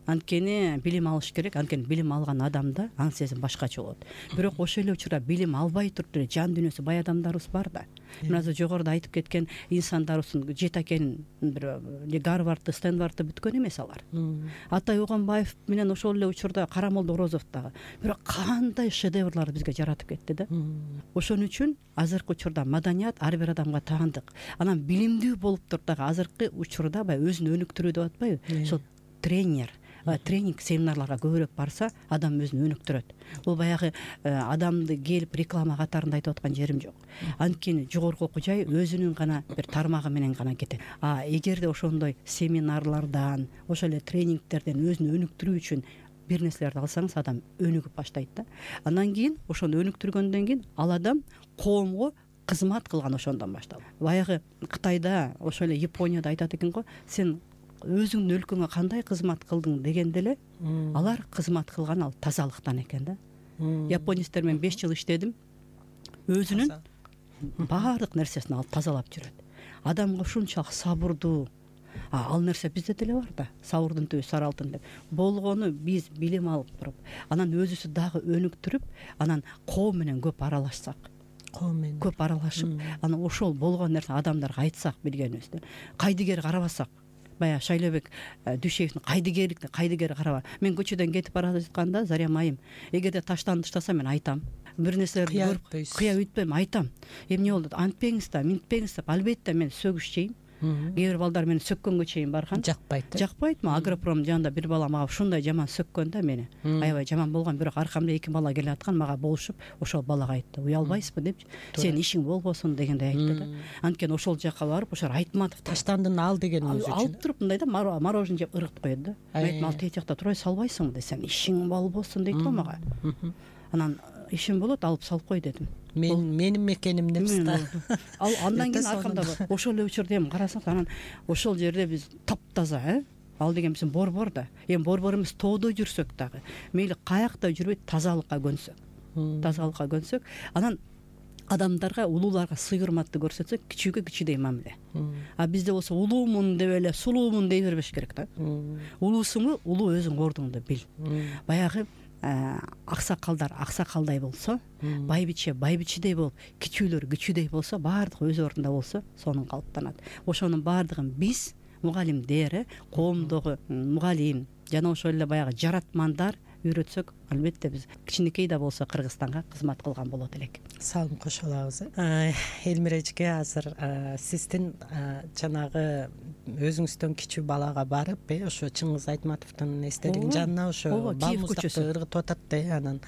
Анткени билим алыш керек. Анткени билим алган адамда аң сезим башкача болот. Бирок ошол эле учурда билим албай туруп деле жан дүйнөсү бай адамдарыбыз бар да. Мына жогоруда айтып кеткен инсандарыбыздын жети акен бир Гарвардты, Стэнфордты бүткөн эмес алар. Атай Огонбаев менен ошол эле учурда Карамолдо Орозов дагы. Бирок кандай шедеврларды бизге жаратып кетти да. Ошон үчүн азыркы учурда маданият ар бир адамга таандык. Анан билимдүү болуп туруп дагы азыркы учурда баягы өзүн өнүктүрүү деп атпайбы? Ошол тренер тренинг семинарларга көбүрөөк барса, адам өзүн өнүктүрөт. Бул баягы адамды келип реклама катарында айтып аткан жерим жок. Анткени жогорку окуу жай өзүнүн гана бир тармагы менен гана кетет. А эгерде ошондой семинарлардан, ошол эле тренингтерден өзүн өнүктүрүү үчүн бир нерселерди алсаңыз адам өнүгүп баштайт да. Андан кийин ошону өнүктүргөндөн кийин ал адам коомго кызмат кылган ошондон башталып. Баягы Кытайда, ошол эле Японияда айтат экен го, сен өзүңдүн өлкөңө кандай кызмат кылдың дегенде эле алар кызмат кылган ал тазалыктан экен да. Японецтер менен беш жыл иштедим. Өзүнүн баардык нерсесин алып тазалап жүрөт. Адамга ушунчалык сабырдуу. Ал нерсе бизде деле бар да. Сабырдын түбү сары алтын деп. Болгону биз билим алып туруп, анан өзүбүздү дагы өнүктүрүп, анан коом менен көп аралашсак, коом менен көп аралашып, анан ошол болгон нерсе адамдарга айтсак билгенибизди. Кайдыгер карабасак, баягы Шайлообек Дүйшеевдин кайдыгерликти кайдыгер караба. Мен көчөдөн кетип бара жатканда, Зарем айым, эгерде таштан таштаса мен айтам. Бир нерселерди көрүп кыя үйтпөйм, айтам. Эмне болду? Антпеңиз да, минтпеңиз деп. Албетте мен сөгүшчейм. Кээ бир балдар мени сөккөнгө чейин барган. Жакпайт. Жакпайт. Ма Агропром жанында бир бала мага ушундай жаман сөккөн да мени. Аябай жаман болгон, бирок аркамда эки бала келе аткан, мага болушуп, ошол балага айтты. Уялбайсызбы деп, сенин ишиң болбосун дегендей айтты да. Анткени ошол жака барып, ошо Айтматов таштандын ал дегениңиз үчүн алып туруп мындай да мороженое жеп ыргытып коет да. Мен айттым, ал тет жакта турбай салбайсыңбы десем, ишиң болбосун дейт го мага. Анан ишим болот, алып салып кой дедим. Мен менин мекеним эмес да. Ал андан кийин аркамда ошол эле учурда эми карасаңыз, анан ошол жерде биз таптаза, э? Ал деген биздин борбор да. Эми борбор эмес, тоодо жүрсөк дагы, мейли каякта жүрбөйт, тазалыкка көнсөк. Тазалыкка көнсөк, анан адамдарга, улууларга сый урматты көрсөтсөк, кичүүгө кичүүдей мамиле. А бизде болсо улуумун деп эле сулуумун дей бербеш керек да. Улуусуңбу, улуу өзүң ордуңду бил. Баягы аксакалдар аксакалдай болсо, байбиче байбичедей болуп, кичүүлөр кичүүдей болсо, баардыгы өз ордунда болсо, сонун калыптанат. Ошонун баардыгын биз мугалимдер, коомдогу мугалим жана ошол эле баягы жаратмандар үйрөтсөк, албетте биз кичинекей да болсо Кыргызстанга кызмат кылган болот элек. Салым кошо алабыз. Элмира эжеке, азыр сиздин жанагы өзүңүздөн кичүү балага барып, э, ошо Чыңгыз Айтматовдун эстелигинин жанына ошо балмуздакты ыргытып атат да, анан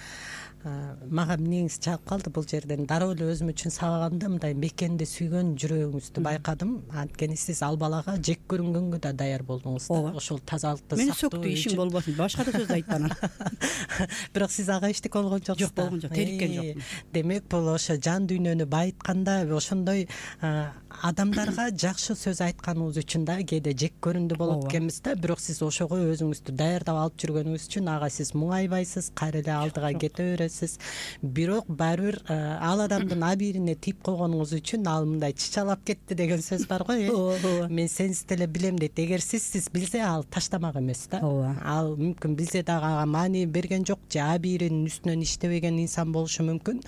мага эмнеңиз чаап калды бул жерден. Дароо эле өзүм үчүн сабаганда мындай мекенди сүйгөн жүрөгүңүздү байкадым. Анткени сиз ал балага жек көрүнгөнгө да даяр болдуңуз да. Ошол тазалыкты сактоо. Мени сөктү, ишиң болбосун, башка да сөз айтты анан. Бирок сиз ага эчтеке болгон жоксуз. Жок, болгон жок, териккен жокмун. Демек, бул ошо жан дүйнөнү байытканда ошондой адамдарга жакшы сөз айтканыңыз үчүн да кээде жек көрүндү болот экенбиз да. Бирок сиз ошого өзүңүздү даярдап алып жүргөнүңүз үчүн ага сиз муңайбайсыз, кайра эле алдыга кете бересиз. Бирок баары бир ал адамдын абийирине тийип койгонуңуз үчүн ал мындай чычалап кетти деген сөз бар го, э. Мен сенсиз деле билем дейт. Эгер сиз сиз билсе, ал таштамак эмес да. Ал мүмкүн билсе дагы ага маани берген жок, же абийиринин үстүнөн иштебеген инсан болушу мүмкүн.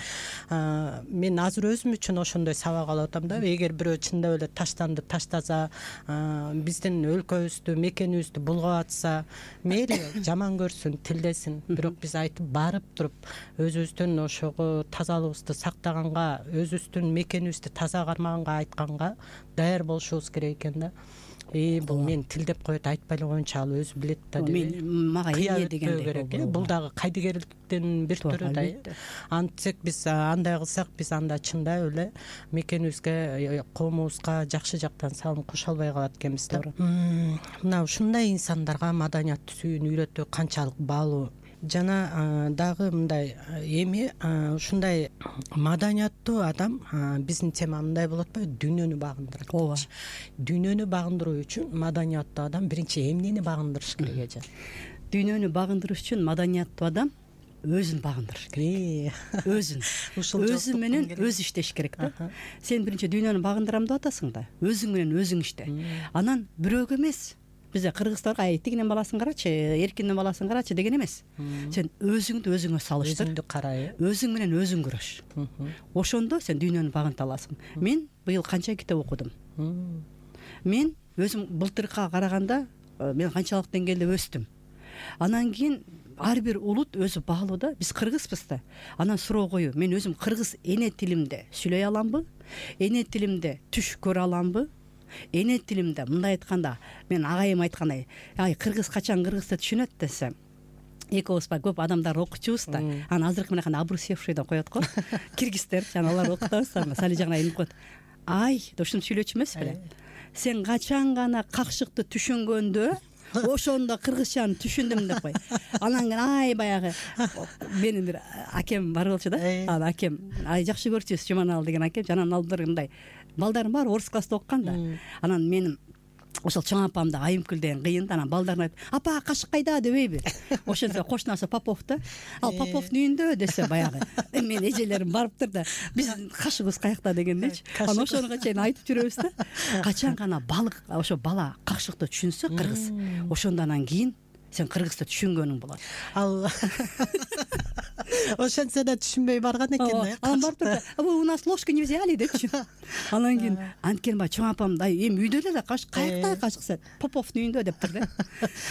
Мен азыр өзүм үчүн ошондой сабак алып атам да. Эгер бирөө чындап эле таштанды таштаса, биздин өлкөбүздү, мекенибизди булгап атса, мейли жаман көрсүн, тилдесин. Бирок биз айтып барып туруп, өзүбүздүн ошого тазалыгыбызды сактаганга, өзүбүздүн мекенибизди таза кармаганга айтканга даяр болушубуз керек экен да. Э, бул мен тилдеп коет, айтпай эле коеюнчу, ал өзү билет да деп. Мага эмне дегендей. Бул дагы кайдыгерликтин бир түрү да. Антсек биз андай кылсак, биз анда чындап эле мекенибизге, коомубузга жакшы жактан салым кошо албай калат экенбиз да. Мына ушундай инсандарга маданиятты сүйүүнү үйрөтүү канчалык баалуу. Жана дагы мындай эми ушундай маданияттуу адам, биздин тема мындай болот атпайбы, дүйнөнү багындырат. Ооба. Дүйнөнү багындыруу үчүн маданияттуу адам биринчи эмнени багындырыш керек эже? Дүйнөнү багындырыш үчүн маданияттуу адам өзүн багындырыш керек. Өзүн. Өзү менен өзү иштеш керек да. Сен биринчи дүйнөнү багындырам деп атасың да. Өзүң менен өзүң иште. Анан бирөөгө эмес. Бизде кыргыздарга ай тигинин баласын карачы, эркиндин баласын карачы деген эмес. Сен өзүңдү өзүңө салыштыр. Өзүңдү кара, э. Өзүң менен өзүң күрөш. Ошондо сен дүйнөнү багынта аласың. Мен быйыл канча китеп окудум. Мен өзүм былтыркыга караганда мен канчалык деңгээлде өстүм. Анан кийин ар бир улут өзү баалуу да. Биз кыргызбыз да. Анан суроо коюу. Мен өзүм кыргыз эне тилимде сүйлөй аламбы? Эне тилимде түш көрө аламбы? Эне тилимде мындай айтканда, мен агайым айткандай, ай кыргыз качан кыргызды түшүнөт десем, экөөбүз ба көп адамдар окучубуз да. Анан азыркы мынакей обрусевший деп коет го. Киргиздер, жана алар окутабыз, сали жагына инип коет. Ай, ушинтип сүйлөчү эмес беле? Сен качан гана какшыкты түшүнгөндө ошондо кыргызчаны түшүндүм деп кой. Анан кийин ай баягы менин бир акем бар болчу да. Анан акем ай жакшы көрчүбүз Жуманалы деген акем. Анан алдыр мындай балдарым бар орус класста оккан да. Анан менин ошол чоң апамды Айымкүл деген кыйын да. Анан балдарына айтып, апа кашык кайда дебейби? Ошентсе кошунасы Попов да. Ал Поповдун үйүндө десе баягы мен эжелерим барыптыр да. Биз кашыгыбыз каякта дегендечи. Анан ошонго чейин айтып жүрөбүз да. Качан гана балык ошо бала кашыкты түшүнсө кыргыз, ошондон кийин сен кыргызды түшүнгөнүң болот. Ал ошентсе да түшүнбөй барган экен да. Анан барып турду. У нас ложка не взяли депчи. Анан кийин анткени баягы чоң апам да эми үйдө эле да кашык каякта кашыкса Поповдун үйүндө дептир да.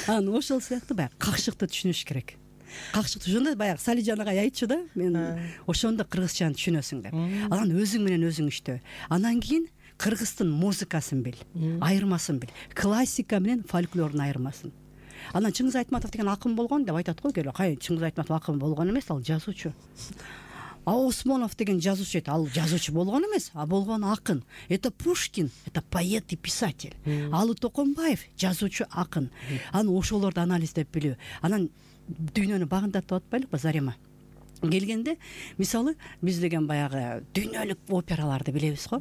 Анан ошол сыяктуу баягы кашыкты түшүнүш керек. Кашыкты ошондо баягы Салижан агай айтчу да, мен ошондо кыргызчаны түшүнөсүң деп. Анан өзүң менен өзүң иштөө. Анан кийин кыргыздын музыкасын бил, айырмасын бил. Классика менен фольклордун айырмасын. Анан Чыңгыз Айтматов деген акын болгон деп айтат го келе. Кай Чыңгыз Айтматов акын болгон эмес, ал жазуучу. А Осмонов деген жазуучу, ал жазуучу болгон эмес, а болгон акын. Это Пушкин, это поэт и писатель. Алы Токонбаев жазуучу, акын. Анан ошолорду анализдеп билүү. Анан дүйнөнү багындатып атпайлыкпы Зарема? Келгенде мисалы биз деген баягы дүйнөлүк операларды билебиз го.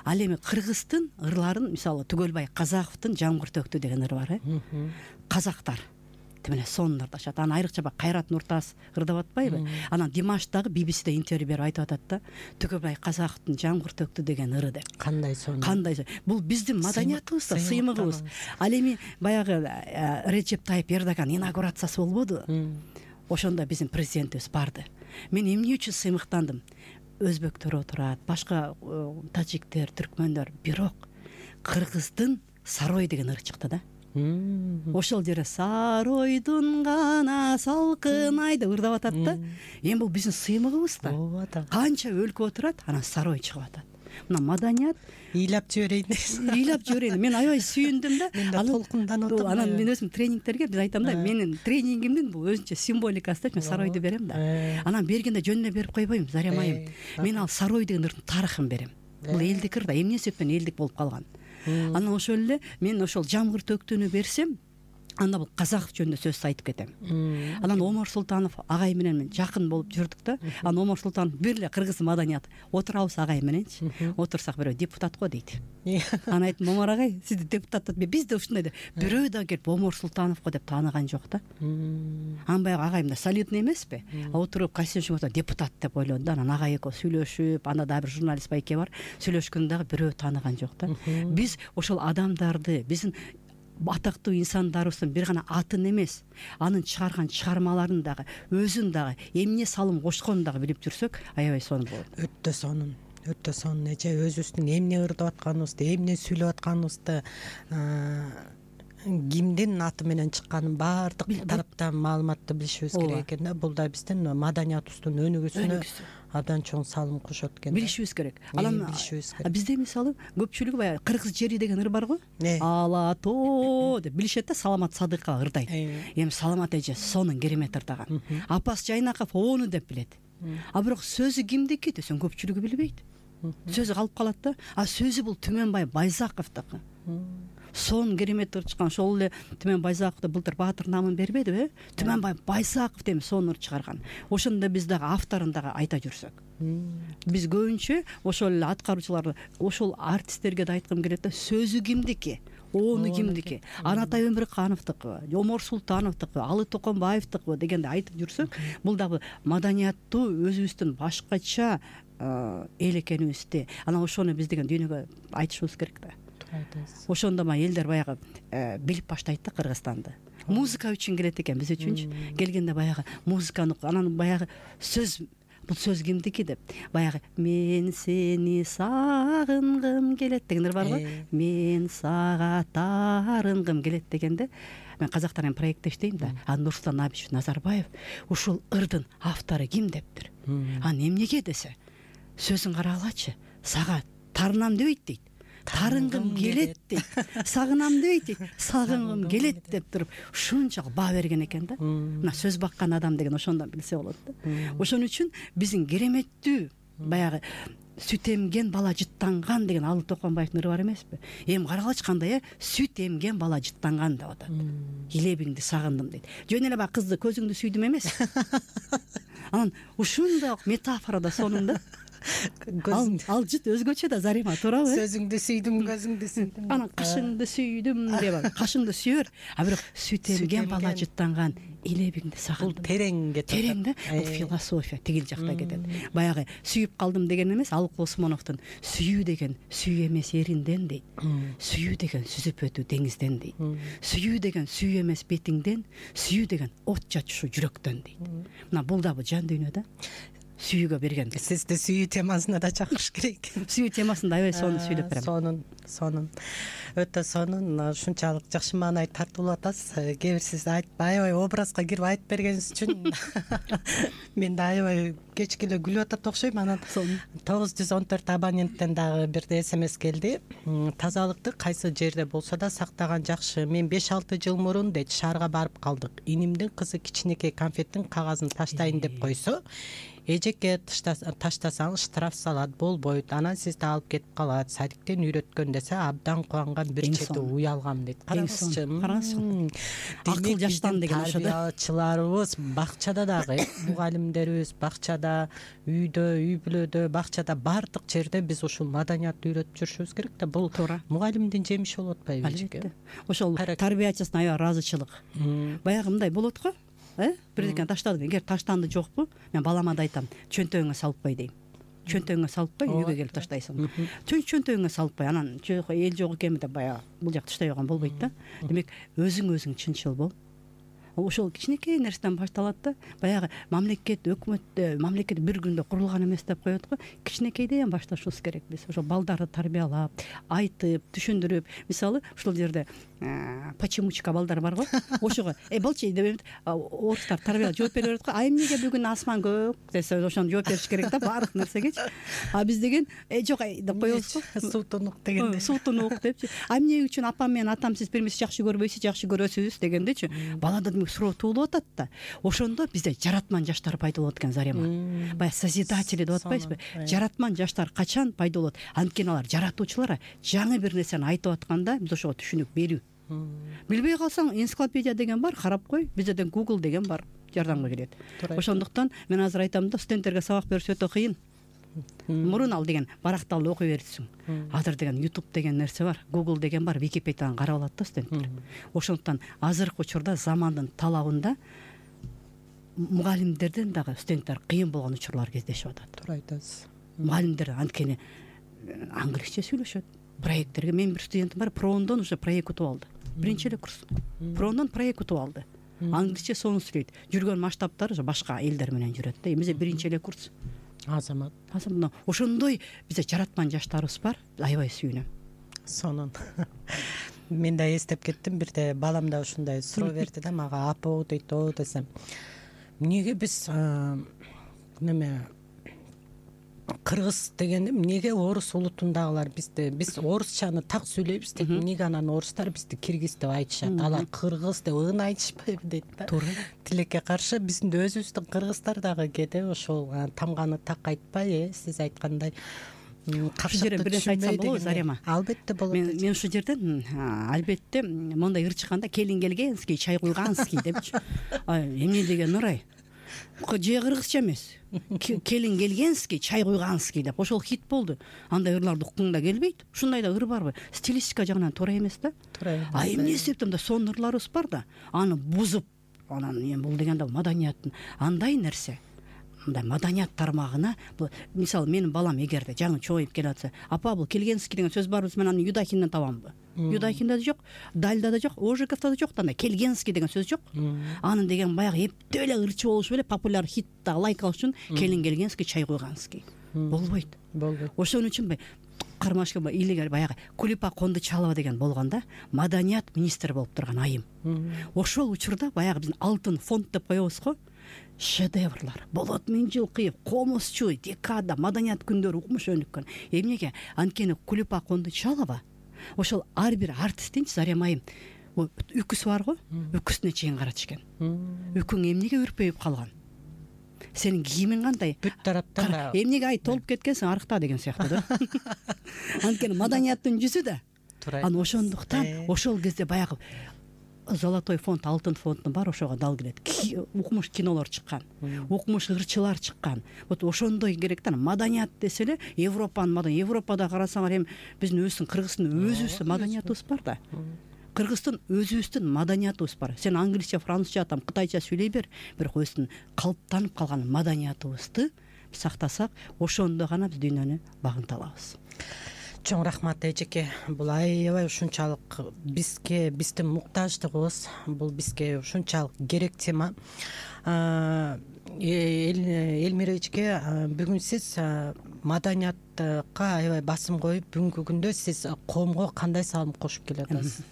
Ал эми кыргыздын ырларын мисалы Түгөлбай Казаковдун Жамгыр төктү деген ыры бар, э. Казактар тимеле сонун ырдашат. Анан айрыкча Кайрат Нуртас ырдап атпайбы? Анан Димаш дагы би би сиде интервью берип айтып атат да. Түгөлбай Казаковдун Жамгыр төктү деген ыры деп. Кандай сонун. Кандай. Бул биздин маданиятыбыз да, сыймыгыбыз. Ал эми баягы Режеп Тайып Эрдоган инаугурациясы болбоду? Ошондо биздин президентибиз барды. Мен эмне үчүн сыймыктандым? Өзбектөр отурат, башка тажиктер, түркмөндөр, бирок кыргыздын Сарой деген ыры чыкты да. Ошол жерде Саройдун гана салкын ай деп ырдап атат да. Эми бул биздин сыймыгыбыз да. Канча өлкө отурат, анан Сарой чыгып атат. Мына маданият ыйлап жиберейин дейсиз. Ыйлап жиберейин. Мен аябай сүйүндүм да. Мен толкунданып атам. Анан мен өзүм тренингтерге биз айтам да, менин тренингимдин бул өзүнчө символикасы деп мен Саройду берем да. Анан бергенде жөнүнө берип койбойм, Зарема айым. Мен ал Сарой деген ырдын тарыхын берем. Бул элдик ыр да, эмне себептен элдик болуп калган. Анан ошол эле мен ошол Жамгыр төктүнү берсем, анда бул Казаков жөнүндө сөз айтып кетем. Анан Омар Султанов агай менен мен жакын болуп жүрдүк да. Анан Омар Султанов бир эле кыргыз маданият отурабыз агай мененчи. Отурсак бирөө депутат го дейт. Анан айттым, Омар агай, сизди депутат деп, биз да ушундай деп. Бирөө да келип Омар Султанов го деп тааныган жок да. Анан баягы агайым да солидный эмеспи? Отуруп Касеншин депутат деп ойлоду да. Анан агай экөө сүйлөшүп, анда дагы бир журналист байке бар. Сүйлөшкөндө дагы бирөө тааныган жок да. Биз ошол адамдарды, биздин атактуу инсандарыбыздын бир гана атын эмес, анын чыгарган чыгармаларын дагы, өзүн дагы, эмне салым кошконун дагы билип жүрсөк, аябай сонун болот. Өтө сонун. Өтө сонун. Эже өзүбүздүн эмне ырдап атканыбызды, эмне сүйлөп атканыбызды, кимдин аты менен чыкканын баардык тараптан маалыматты билишибиз керек экен да. Бул да биздин маданиятыбыздын өнүгүүсүнө абдан чоң салым кошот экен. Билишибиз керек. Анан бизде мисалы көпчүлүгү баягы кыргыз жери деген ыр бар го. Ала тоо деп билишет да, Саламат Садыкова ырдайт. Эми Саламат эже сонун керемет ырдаган. Апас Жайнаков ону деп билет. А бирок сөзү кимдики десең көпчүлүгү билбейт. Сөзү калып калат да. А сөзү бул Түмөнбай Байзаковдуку. Сон керемет ыр чыккан. Ошол эле Түмөн Байзаковду былтыр баатыр намын бербедиби? Түмөнбай Байзаков деп сонун ыр чыгарган. Ошондо биз дагы авторун дагы айта жүрсөк. Биз көбүнчө ошол эле аткаруучулар, ошол артисттерге да айткым келет да, сөзү кимдики? Ону кимдики? Анатай Өмүркановдуку, Омар Султановдуку, Алы Токонбаевдуку дегенде айтып жүрсөк, бул дагы маданияттуу өзүбүздүн башкача эл экенибизди, анан ошону биз деген дүйнөгө айтышыбыз керек да. Ошондо ма элдер баягы билип баштайт да Кыргызстанды. Музыка үчүн келет экен, биз үчүнчү. Келгенде баягы музыканы, анан баягы сөз, бул сөз кимдики деп, баягы мен сени сагынгым келет деген ыр бар го. Мен сага тарынгым келет дегенде, мен казактар эми проектте иштейм да. Анан Нурсултан Абишев Назарбаев ушул ырдын автору ким дептир. Анан эмнеге десе, сөзүн карагылачы, сага тарынам дебейт дейт. Тарынгым келет дейт. Сагынам дебейт дейт. Сагынгым келет деп туруп ушунчалык баа берген экен да. Мына сөз баккан адам деген ошондон билсе болот да. Ошон үчүн биздин кереметтүү баягы сүт эмген бала жыттанган деген Алы Токонбаевдин ыры бар эмеспи? Эми карагылачы кандай э сүт эмген бала жыттанган деп атат. Илебиңди сагындым дейт. Жөн эле баягы кызды көзүңдү сүйдүм эмес. Анан ушундай метафора да сонун да. Ал жыт өзгөчө да, Зарема, туурабы? Сөзүңдү сүйдүм, көзүңдү сүйдүм. Анан кашыңды сүйдүм деп, кашыңды сүйөр, а бирок сүт эмген бала жыттанган илебиңди сагындым. Бул терең кетет. Терең да, бул философия тигил жакта кетет. Баягы сүйүп калдым деген эмес, Алык Осмоновдун сүйүү деген сүйүү эмес эринден дейт. Сүйүү деген сүзүп өтүү деңизден дейт. Сүйүү деген сүйүү эмес бетиңден, сүйүү деген от чачышуу жүрөктөн дейт. Мына бул дагы жан дүйнө да. Сүйүүгө берген. Сизди сүйүү темасына да чакырыш керек. Сүйүү темасында аябай сонун сүйлөп берем. Сонун, сонун. Өтө сонун, ушунчалык жакшы маанай тартуулап атасыз. Кээ бир сиз аябай образга кирип айтып бергениңиз үчүн мен да аябай кечке эле күлүп атат окшойм. Анан тогуз жүз он төрт абоненттен дагы бир смс келди. Тазалыкты кайсы жерде болсо да сактаган жакшы. Мен беш алты жыл мурун дейт шаарга барып калдык. Инимдин кызы кичинекей конфеттин кагазын таштайын деп койсо, эжекке таштасаң штраф салат, болбойт, анан сизди алып кетип калат, садиктен үйрөткөн десе абдан кубанган бир чети уялгам дейт. Караңызчы, караңызчы. Акыл жаштан деген ошо да. Тарбиячыларыбыз бакчада дагы, мугалимдерибиз бакчада, үйдө, үй бүлөдө, бакчада, баардык жерде биз ушул маданиятты үйрөтүп жүрүшүбүз керек да. Бул мугалимдин жемиши болуп атпайбы? Албетте. Ошол тарбиячысына аябай ыраазычылык. Баягы мындай болот го. Э? Бирдекен таштадым. Эгер таштанды жокпу, мен балама да айтам, чөнтөгүңө салып кой дейм. Чөнтөгүңө салып кой, үйгө келип таштайсың. Чөнтөгүңө салып кой, анан жок, эл жок экен деп баягы бул жак таштай койгон болбойт да. Демек, өзүң өзүң чынчыл бол. Ошол кичинекей нерседен башталат да. Баягы мамлекет, өкмөт, мамлекет бир күндө курулган эмес деп коет го. Кичинекейден башташыбыз керек биз. Ошол балдарды тарбиялап, айтып, түшүндүрүп, мисалы, ушул жерде почемучка балдар бар го. Ошого э болчу деп орустар тарбиялап жооп бере берет го. А эмнеге бүгүн асман көк десе, ошону жооп бериш керек да баардык нерсегечи. А биз деген э жок деп коебуз го. Сутунук дегенде. Сутунук депчи. А эмне үчүн апам менен атам сиз бирибизди жакшы көрбөйсүз, жакшы көрөсүз дегендечи. Балада демек суроо туулуп атат да. Ошондо бизде жаратман жаштар пайда болот экен, Зарема. Баягы созидатели деп атпайсызбы? Жаратман жаштар качан пайда болот? Анткени алар жаратуучулар жаңы бир нерсени айтып атканда биз ошого түшүнүк берүү. Билбей калсаң, энциклопедия деген бар, карап кой. Бизден Google деген бар, жардамга келет. Ошондуктан мен азыр айтам да, студенттерге сабак бериш өтө кыйын. Мурун ал деген баракталып окуй берсиң. Азыр деген YouTube деген нерсе бар, Google деген бар, Википедияны карап алат да студенттер. Ошондуктан азыркы учурда замандын талабында мугалимдерден дагы студенттер кыйын болгон учурлар кездешип атат. Туура айтасыз. Мугалимдер анткени англисче сүйлөшөт. Проекттерге мен бир студентим бар, Прондон уже проект утуп алды. Биринчи эле курс. Прондон проект утуп алды. Англисче сонун сүйлөйт. Жүргөн масштабтары уже башка элдер менен жүрөт да. Эмесе биринчи эле курс. Азамат. Азамат. Ошондой бизде жаратман жаштарыбыз бар. Аябай сүйүнөм. Сонун. Мен да эстеп кеттим, бирде балам да ушундай суроо берди да мага, апа дейт, о десем. Эмнеге биз неме кыргыз дегенде эмнеге орус улутундагылар бизди биз орусчаны так сүйлөйбүз дейт. Эмнеге анан орустар бизди киргиз деп айтышат, алар кыргыз деп ын айтышпайбы дейт да. Туура. Тилекке каршы биздин өзүбүздүн кыргыздар дагы кээде ошол тамганы так айтпай, э сиз айткандай капшыкты бир нерсе айтсам болобу, Зарема? Албетте болот. Мен мен ушул жерден албетте мондай ыр чыкканда келин келгенский, чай куйганский депчи. Эмне деген ырай? Же кыргызча эмес. Келин келгенский, чай куйганский деп ошол хит болду. Андай ырларды уккуң да келбейт. Ушундай да ыр барбы? Стилистика жагынан туура эмес да. Туура. А эмне себептен да сонун ырларыбыз бар да. Аны бузуп, анан эми бул дегенде маданияттын андай нерсе. Мындай маданият тармагына, мисалы менин балам эгерде жаңы чоңоюп келатса, апа бул келгенский деген сөз барбыз, мен аны Юдахинден табамбы? Юдахинде да жок, Дальда да жок, Ожиковда да жок, андай келгенский деген сөз жок. Анын деген баягы эптеп эле ырчы болушу эле популяр хит да лайк алыш үчүн келин келгенский, чай куйганский. Болбойт. Болбойт. Ошон үчүн кармашка илегер баягы Кулипа Кондучалова деген болгондо маданият министри болуп турган айым. Ошол учурда баягы биздин алтын фонд деп коебуз го. Шедеврлар болот, миң жыл кыйып, комузчу, декада, маданият күндөрү укмуш өнүккөн. Эмнеге? Анткени Кулипа Кондучалова ошол ар бир артисттинчи, Заремайым, үкүсү бар го, үкүсүнө чейин карачу экен. Үкүң эмнеге үрпөйүп калган? сенин кийимиң кандай, бүт тараптан эмнеге ай толуп кеткенсиң, арыкта деген сыяктуу да. Анткени маданияттын жүзү да. Анан ошондуктан ошол кезде баягы золотой фонд, алтын фонддун баары ошого дал келет. Укмуш кинолор чыккан, укмуш ырчылар чыккан. Вот ошондой керек да. Маданият десе эле Европанын маданият. Европада карасаңар эми биздин өзүбүздүн Кыргыздын өзүбүздүн маданиятыбыз бар да. Кыргыздын өзүбүздүн маданиятыбыз бар. Сен англисче, французча, там кытайча сүйлөй бер, бирок өзүбүздүн калыптанып калган маданиятыбызды сактасак, ошондо гана биз дүйнөнү багынта алабыз. Чоң рахмат эжеке. Бул аябай ушунчалык бизге, биздин муктаждыгыбыз, бул бизге ушунчалык керек тема. Элмира эжеке, бүгүн сиз маданиятка аябай басым коюп, бүгүнкү күндө сиз коомго кандай салым кошуп келатасыз?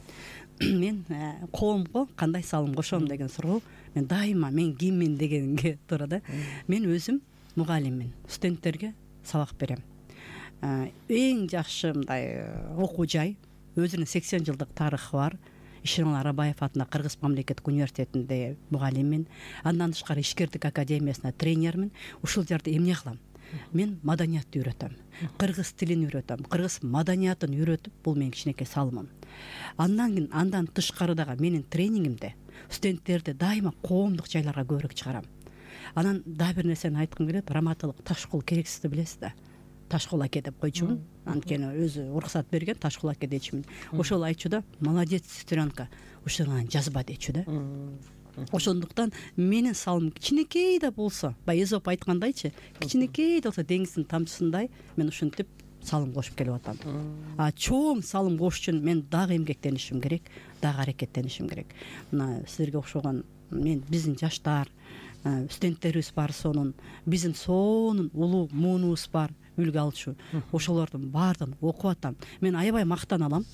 Мен коомго кандай салым кошом деген суроо мен дайыма мен киммин дегенге туура да. Мен өзүм мугалиммин, студенттерге сабак берем. Эң жакшы мындай окуу жай, өзүнүн сексен жылдык тарыхы бар. Ишеналы Арабаев атындагы Кыргыз мамлекеттик университетинде мугалиммин. Андан тышкары Ишкердик академиясына тренермин. Ушул жерде эмне кылам? Мен маданиятты үйрөтөм, кыргыз тилин үйрөтөм, кыргыз маданиятын үйрөтүп, бул менин кичинекей салымым. Андан кийин андан тышкары дагы менин тренингимде студенттерди дайыма коомдук жайларга көбүрөөк чыгарам. Анан дагы бир нерсени айткым келет. Раматылык Ташкул керексизди билесиз да. Ташкул аке деп койчумун. Анткени өзү уруксат берген, Ташкул аке дечимин. Ошол айтчу да, молодец, сестренка, ушуну жазба дечү да. Ошондуктан менин салымым кичинекей да болсо, баягы Эзоп айткандайчы, кичинекей да болсо деңиздин тамчысындай мен ушинтип салым кошуп келип атам. А чоң салым кошуш үчүн мен дагы эмгектенишим керек, дагы аракеттенишим керек. Мына силерге окшогон мен биздин жаштар, студенттерибиз бар, сонун биздин сонун улуу муунубуз бар, үлгү алчу. Ошолордун баардыгын окуп атам. Мен аябай мактаналам.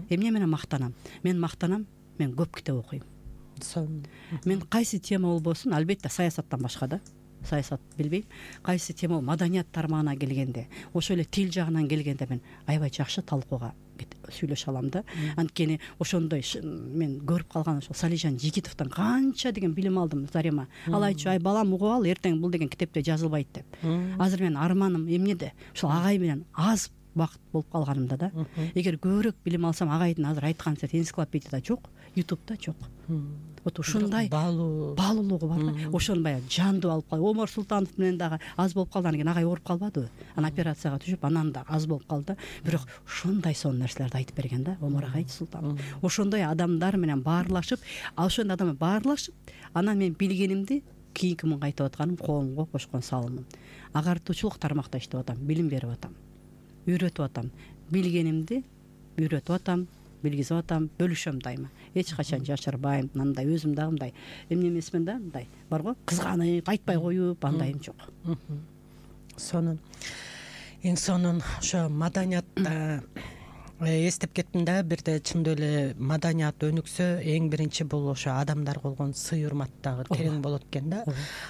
Эмне менен мактанам? Мен мактанам, мен көп китеп окуйм. Мен кайсы тема болбосун, албетте саясаттан башка да. Саясат билбейм. Кайсы тема маданият тармагына келгенде, ошол эле тил жагынан келгенде мен аябай жакшы талкууга сүйлөшө алам да. Анткени ошондой мен көрүп калган ошол Салижан Жигитовдон канча деген билим алдым Зарема. Ал айтчу, ай балам угуп ал, эртең бул деген китепте жазылбайт деп. Азыр менин арманым эмнеде? Ошол агай менен аз убакыт болуп калганымда да. Эгер көбүрөөк билим алсам, агайдын азыр айткан энциклопедияда жок, ютубта жок. Вот ушундай баалуулугу бар да. Ошону баягы жандуу алып калып, Омар Султанов менен дагы аз болуп калгандан кийин агай ооруп калбадыбы? Анан операцияга түшүп, анан да аз болуп калды. Бирок ушундай сонун нерселерди айтып берген да, Омар агай Султанов. Ошондой адамдар менен баарлашып, ошондой адам менен баарлашып, анан мен билгенимди кийинки мунга айтып атканым коомго кошкон салымым. Агартуучулук тармакта иштеп атам, билим берип атам, үйрөтүп атам, билгенимди үйрөтүп атам, билгизип атам, бөлүшөм дайыма. Эч качан жашырбайм. Мындай өзүм дагы мындай эмне эмесмин да, мындай барго, кызганып, айтпай коюп, андайым жок. Сонун. Эң сонун ошо маданият эстеп кеттим да, бирде чындап эле маданият өнүксө, эң биринчи бул ошо адамдарга болгон сый урмат дагы терең болот экен да.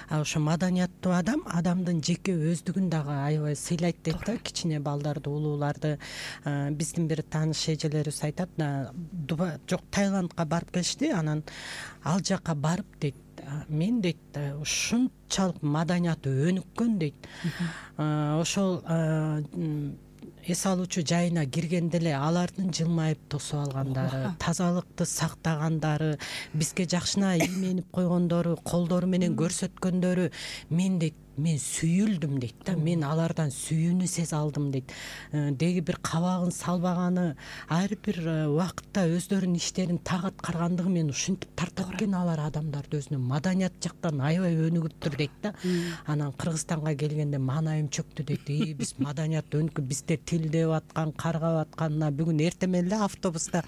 А ошо маданияттуу адам адамдын жеке өздүгүн дагы аябай сыйлайт дейт да, кичине балдарды, улууларды. Биздин бир тааныш эжелерибиз айтат, жок Таиландка барып келишти, анан ал жака барып дейт, мен дейт ушунчалык маданият өнүккөн дейт. Ошол эс алуучу жайына киргенде эле алардын жылмайып тосуп алгандары, тазалыкты сактагандары, бизге жакшына ийменип койгондору, колдору менен көрсөткөндөрү, мен дейт мен сүйүлдүм дейт да, мен алардан сүйүүнү сезе алдым дейт. Деги бир кабагын салбаганы, ар бир убакытта өздөрүнүн иштерин так аткаргандыгы мен ушинтип тартат экен алар адамдарды өзүнө маданият жактан аябай өнүгүптүр дейт да. Анан Кыргызстанга келгенде маанайым чөктү дейт. И биз маданият өнүкүп, биздер тилдеп аткан, каргап атканына бүгүн эртемен эле автобуста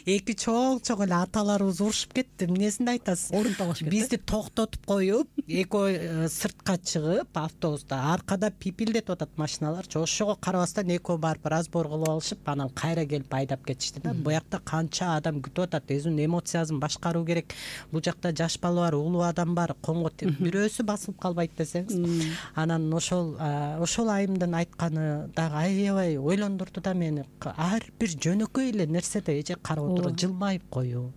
эки чоң чоң эле аталарыбыз урушуп кетти. Эмнесинди айтасыз? Орун талашып кетти. Бизди токтотуп коюп, экөө сыртка чыгып, автобуста аркада пипилдетип атат машиналарчы. Ошого карабастан экөө барып разбор кылып алышып, анан кайра келип айдап кетишти да. Буякта канча адам күтүп атат, өзүнүн эмоциясын башкаруу керек. Бул жакта жаш бала бар, улуу адам бар, конго бирөөсү басылып калбайт десеңиз. Анан ошол ошол айымдын айтканы дагы аябай ойлондурду да мени. Ар бир жөнөкөй эле нерседе эже карап отуруп, жылмайып коюу,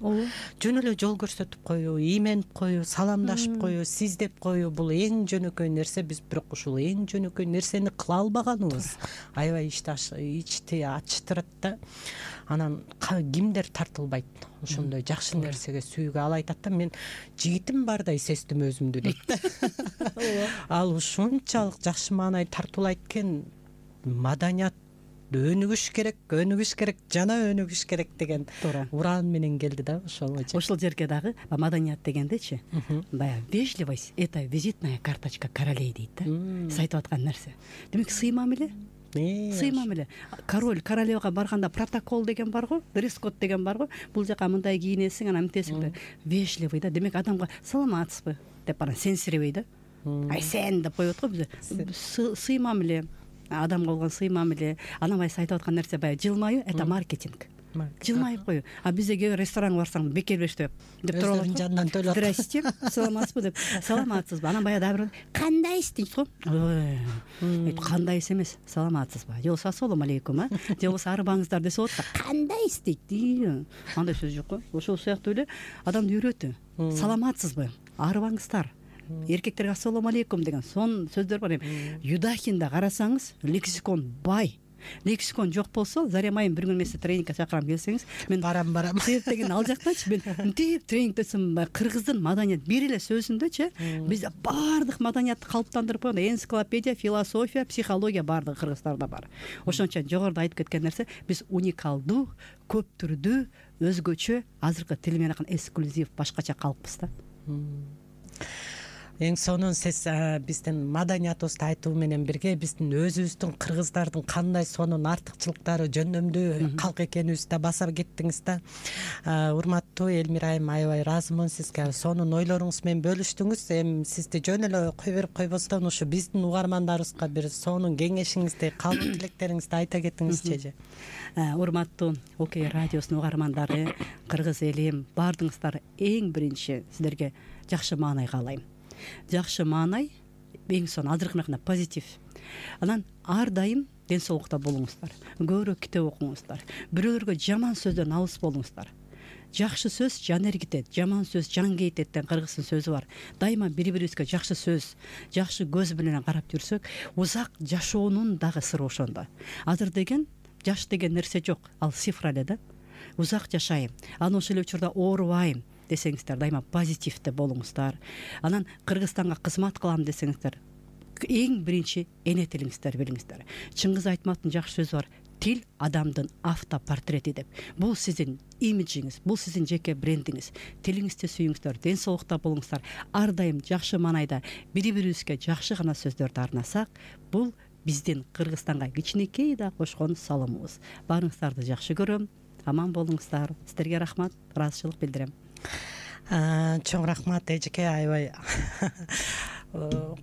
жөн эле жол көрсөтүп коюу, ийменип коюу, саламдашып коюу, сиз издеп коюу бул эң жөнөкөй нерсе. Биз бирок ушул эң жөнөкөй нерсени кыла албаганыбыз аябай ичти ачтырат да. Анан кимдер тартылбайт ошондой жакшы нерсеге сүйгө. Ал айтат да, мен жигитим бардай сездим өзүмдү дейт. Ал ушунчалык жакшы маанай тартуулайт экен. Маданият өнүгүш керек, өнүгүш керек, жана өнүгүш керек деген ураан менен келди да ошол. Ошол жерге дагы маданият дегендечи, баягы вежливость — это визитная карточка королей дейт да. Сиз айтып аткан нерсе. Демек сый мамиле. Сый мамиле. Король, королевага барганда протокол деген бар го, дресс-код деген бар го. Бул жака мындай кийинесиң, анан мынтесиң. Вежливый да. Демек адамга саламатсызбы деп анан сенсиребей да. Ай сен деп коет го биз. Сый мамиле. Адамга болгон сый мамиле. Анан баягы айтып аткан нерсе баягы жылмаю — это маркетинг. Жылмайып кою. А бизде кээ ресторанга барсаң бекер бериштеп деп туруп алат. Жандан төлөп. Здрасте, саламатсызбы деп. Саламатсызбы. Анан баягы дагы бир кандайсыз дейт го. Ой, кандайсыз эмес, саламатсызбы. Же болбосо ассалам алейкум, а? Же болбосо арбаңыздар десе болот да. Кандайсыз дейт. Андай сөз жок го. Ошол сыяктуу эле адамды үйрөтүү. Саламатсызбы? Арбаңыздар. Эркектерге ассалам алейкум деген сон сөздөр бар. Юдахинда карасаңыз, лексикон бай. Лексикон жок болсо, Зарем айым бир күн эмесе тренингге чакырам келсеңиз, мен барам барам. Себептеген ал жактачы мен мынтип тренингдесем, кыргыздын маданият бир эле сөзүндөчү биз баардык маданиятты калыптандырып койгон. Энциклопедия, философия, психология баардыгы кыргыздарда бар. Ошон үчүн жогоруда айтып кеткен нерсе, биз уникалдуу, көп түрдүү, өзгөчө, азыркы тил менен айтканда эксклюзив, башкача калкпыз да. Эң сонун сиз биздин маданиятыбызды айтуу менен бирге биздин өзүбүздүн кыргыздардын кандай сонун артыкчылыктары, жөндөмдүү калк экенибизди да баса кеттиңиз да. Урматтуу Элмира айым, аябай ыраазымын сизге. Сонун ойлоруңуз менен бөлүштүңүз. Эми сизди жөн эле кой берип койбостон ушу биздин угармандарыбызга бир сонун кеңешиңизди, калп тилектериңизди айта кетиңизчи. Урматтуу Окей радиосунун угармандары, кыргыз элим, баардыгыңыздар эң биринчи сиздерге жакшы маанай каалайм. Жакшы маанай эң сонун азыркы менен позитив. Анан ар дайым ден соолукта болуңуздар. Көбүрөөк китеп окуңуздар. Бирөөлөргө жаман сөздөн алыс болуңуздар. Жакшы сөз жан эргитет, жаман сөз жан кейтет деген кыргыздын сөзү бар. Дайыма бири-бирибизге жакшы сөз, жакшы көз менен карап жүрсөк, узак жашоонун дагы сыры ошондо. Азыр деген жаш деген нерсе жок, ал цифра эле да. Узак жашайм, анан ошол эле учурда оорубайм десеңиздер, дайыма позитивде болуңуздар. Анан Кыргызстанга кызмат кылам десеңиздер, эң биринчи эне тилиңиздер билиңиздер. Чыңгыз Айтматтын жакшы сөзү бар: тил адамдын автопортрети деп. Бул сиздин имиджиңиз, бул сиздин жеке брендиңиз. Тилиңизди сүйүңүздөр, ден соолукта болуңуздар. Ар дайым жакшы маанайда бири-бирибизге жакшы гана сөздөрдү арнасак, бул биздин Кыргызстанга кичинекей да кошкон салымыбыз. Баарыңыздарды жакшы көрөм. Аман болуңуздар. Сиздерге рахмат, ыраазычылык билдирем. Чоң рахмат эжеке, аябай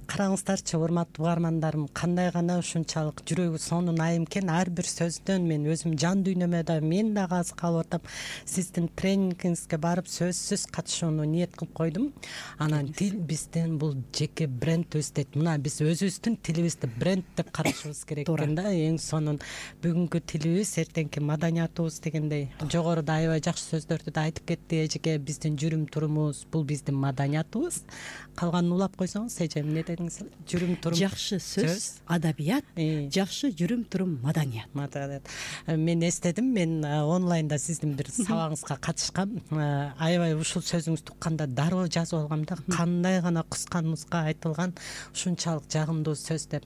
караңыздарчы урматтуу угармандарым, кандай гана ушунчалык жүрөгү сонун айым экен. Ар бир сөздөн мен өзүм жан дүйнөмө да мен дагы азык алып атам. Сиздин тренингиңизге барып сөзсүз катышууну ниет кылып койдум. Анан тил биздин бул жеке брендибиз дейт. Мына биз өзүбүздүн тилибизди бренд деп карашыбыз керек экен да. Эң сонун бүгүнкү тилибиз, эртеңки маданиятыбыз дегендей жогоруда аябай жакшы сөздөрдү да айтып кетти эжеке. Биздин жүрүм турумубуз бул биздин маданиятыбыз. Калганын улап койсоңуз эже эмне дедиңиз? Жүрүм турум жакшы сөз, адабият, жакшы жүрүм турум маданият. Маданият. Мен эстедим, мен онлайнда сиздин бир сабагыңызга катышкам. Аябай ушул сөзүңүздү укканда дароо жазып алгам да, кандай гана кыска мыска айтылган ушунчалык жагымдуу сөз деп.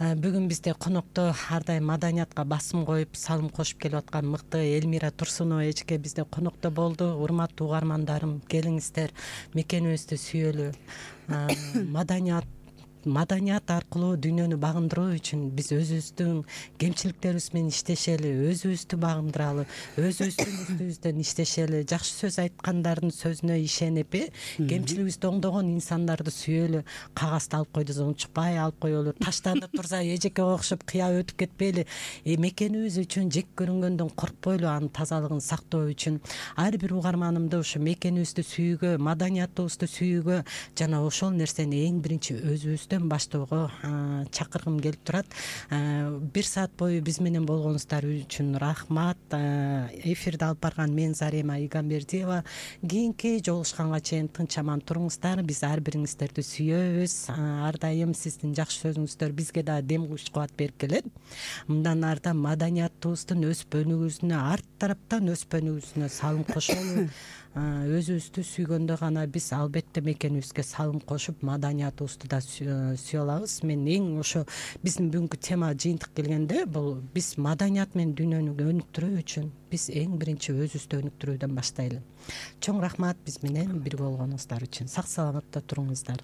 Бүгүн бизде конокто ар дайым маданиятка басым коюп, салым кошуп келип аткан мыкты Элмира Турсунова эжеке бизде конокто болду. Урматтуу угармандарым, келиңиздер, мекенибизди сүйөлү. Маданият маданият аркылуу дүйнөнү багындыруу үчүн биз өзүбүздүн кемчиликтерибиз менен иштешели, өзүбүздү багындыралы, өзүбүздүн үстүбүздөн иштешели, жакшы сөз айткандардын сөзүнө ишенип, кемчилигибизди оңдогон инсандарды сүйөлү. Кагазды алып койду, унчукпай алып коелу. Таштанып турса эжекке окшоп кыяп өтүп кетпейли. Мекенибиз үчүн жек көрүнгөндөн коркпойлу, анын тазалыгын сактоо үчүн ар бир угарманымды ушу мекенибизди сүйүүгө, маданиятыбызды сүйүүгө жана ошол нерсени эң биринчи өзүбүз өзүбүздөн баштоого чакыргым келип турат. Бир саат бою биз менен болгонуңуздар үчүн рахмат. Эфирди алып барган мен Зарема Игамбердиева. Кийинки жолугушканга чейин тынч аман туруңуздар. Биз ар бириңиздерди сүйөбүз. Ар дайым сиздин жакшы сөзүңүздөр бизге да дем күч кубат берип келет. Мындан арда маданиятыбыздын өспөнүбүзүнө, арт тараптан өспөнүбүзүнө салым кошолу. Өзүбүздү сүйгөндө гана биз албетте мекенибизге салым кошуп, маданиятыбызды да сүйө алабыз. Мен эң ошо биздин бүгүнкү тема жыйынтык келгенде, бул биз маданият менен дүйнөнү өнүктүрүү үчүн биз эң биринчи өзүбүздү өнүктүрүүдөн баштайлы. Чоң рахмат биз менен бирге болгонуңуздар үчүн. Сак саламатта туруңуздар.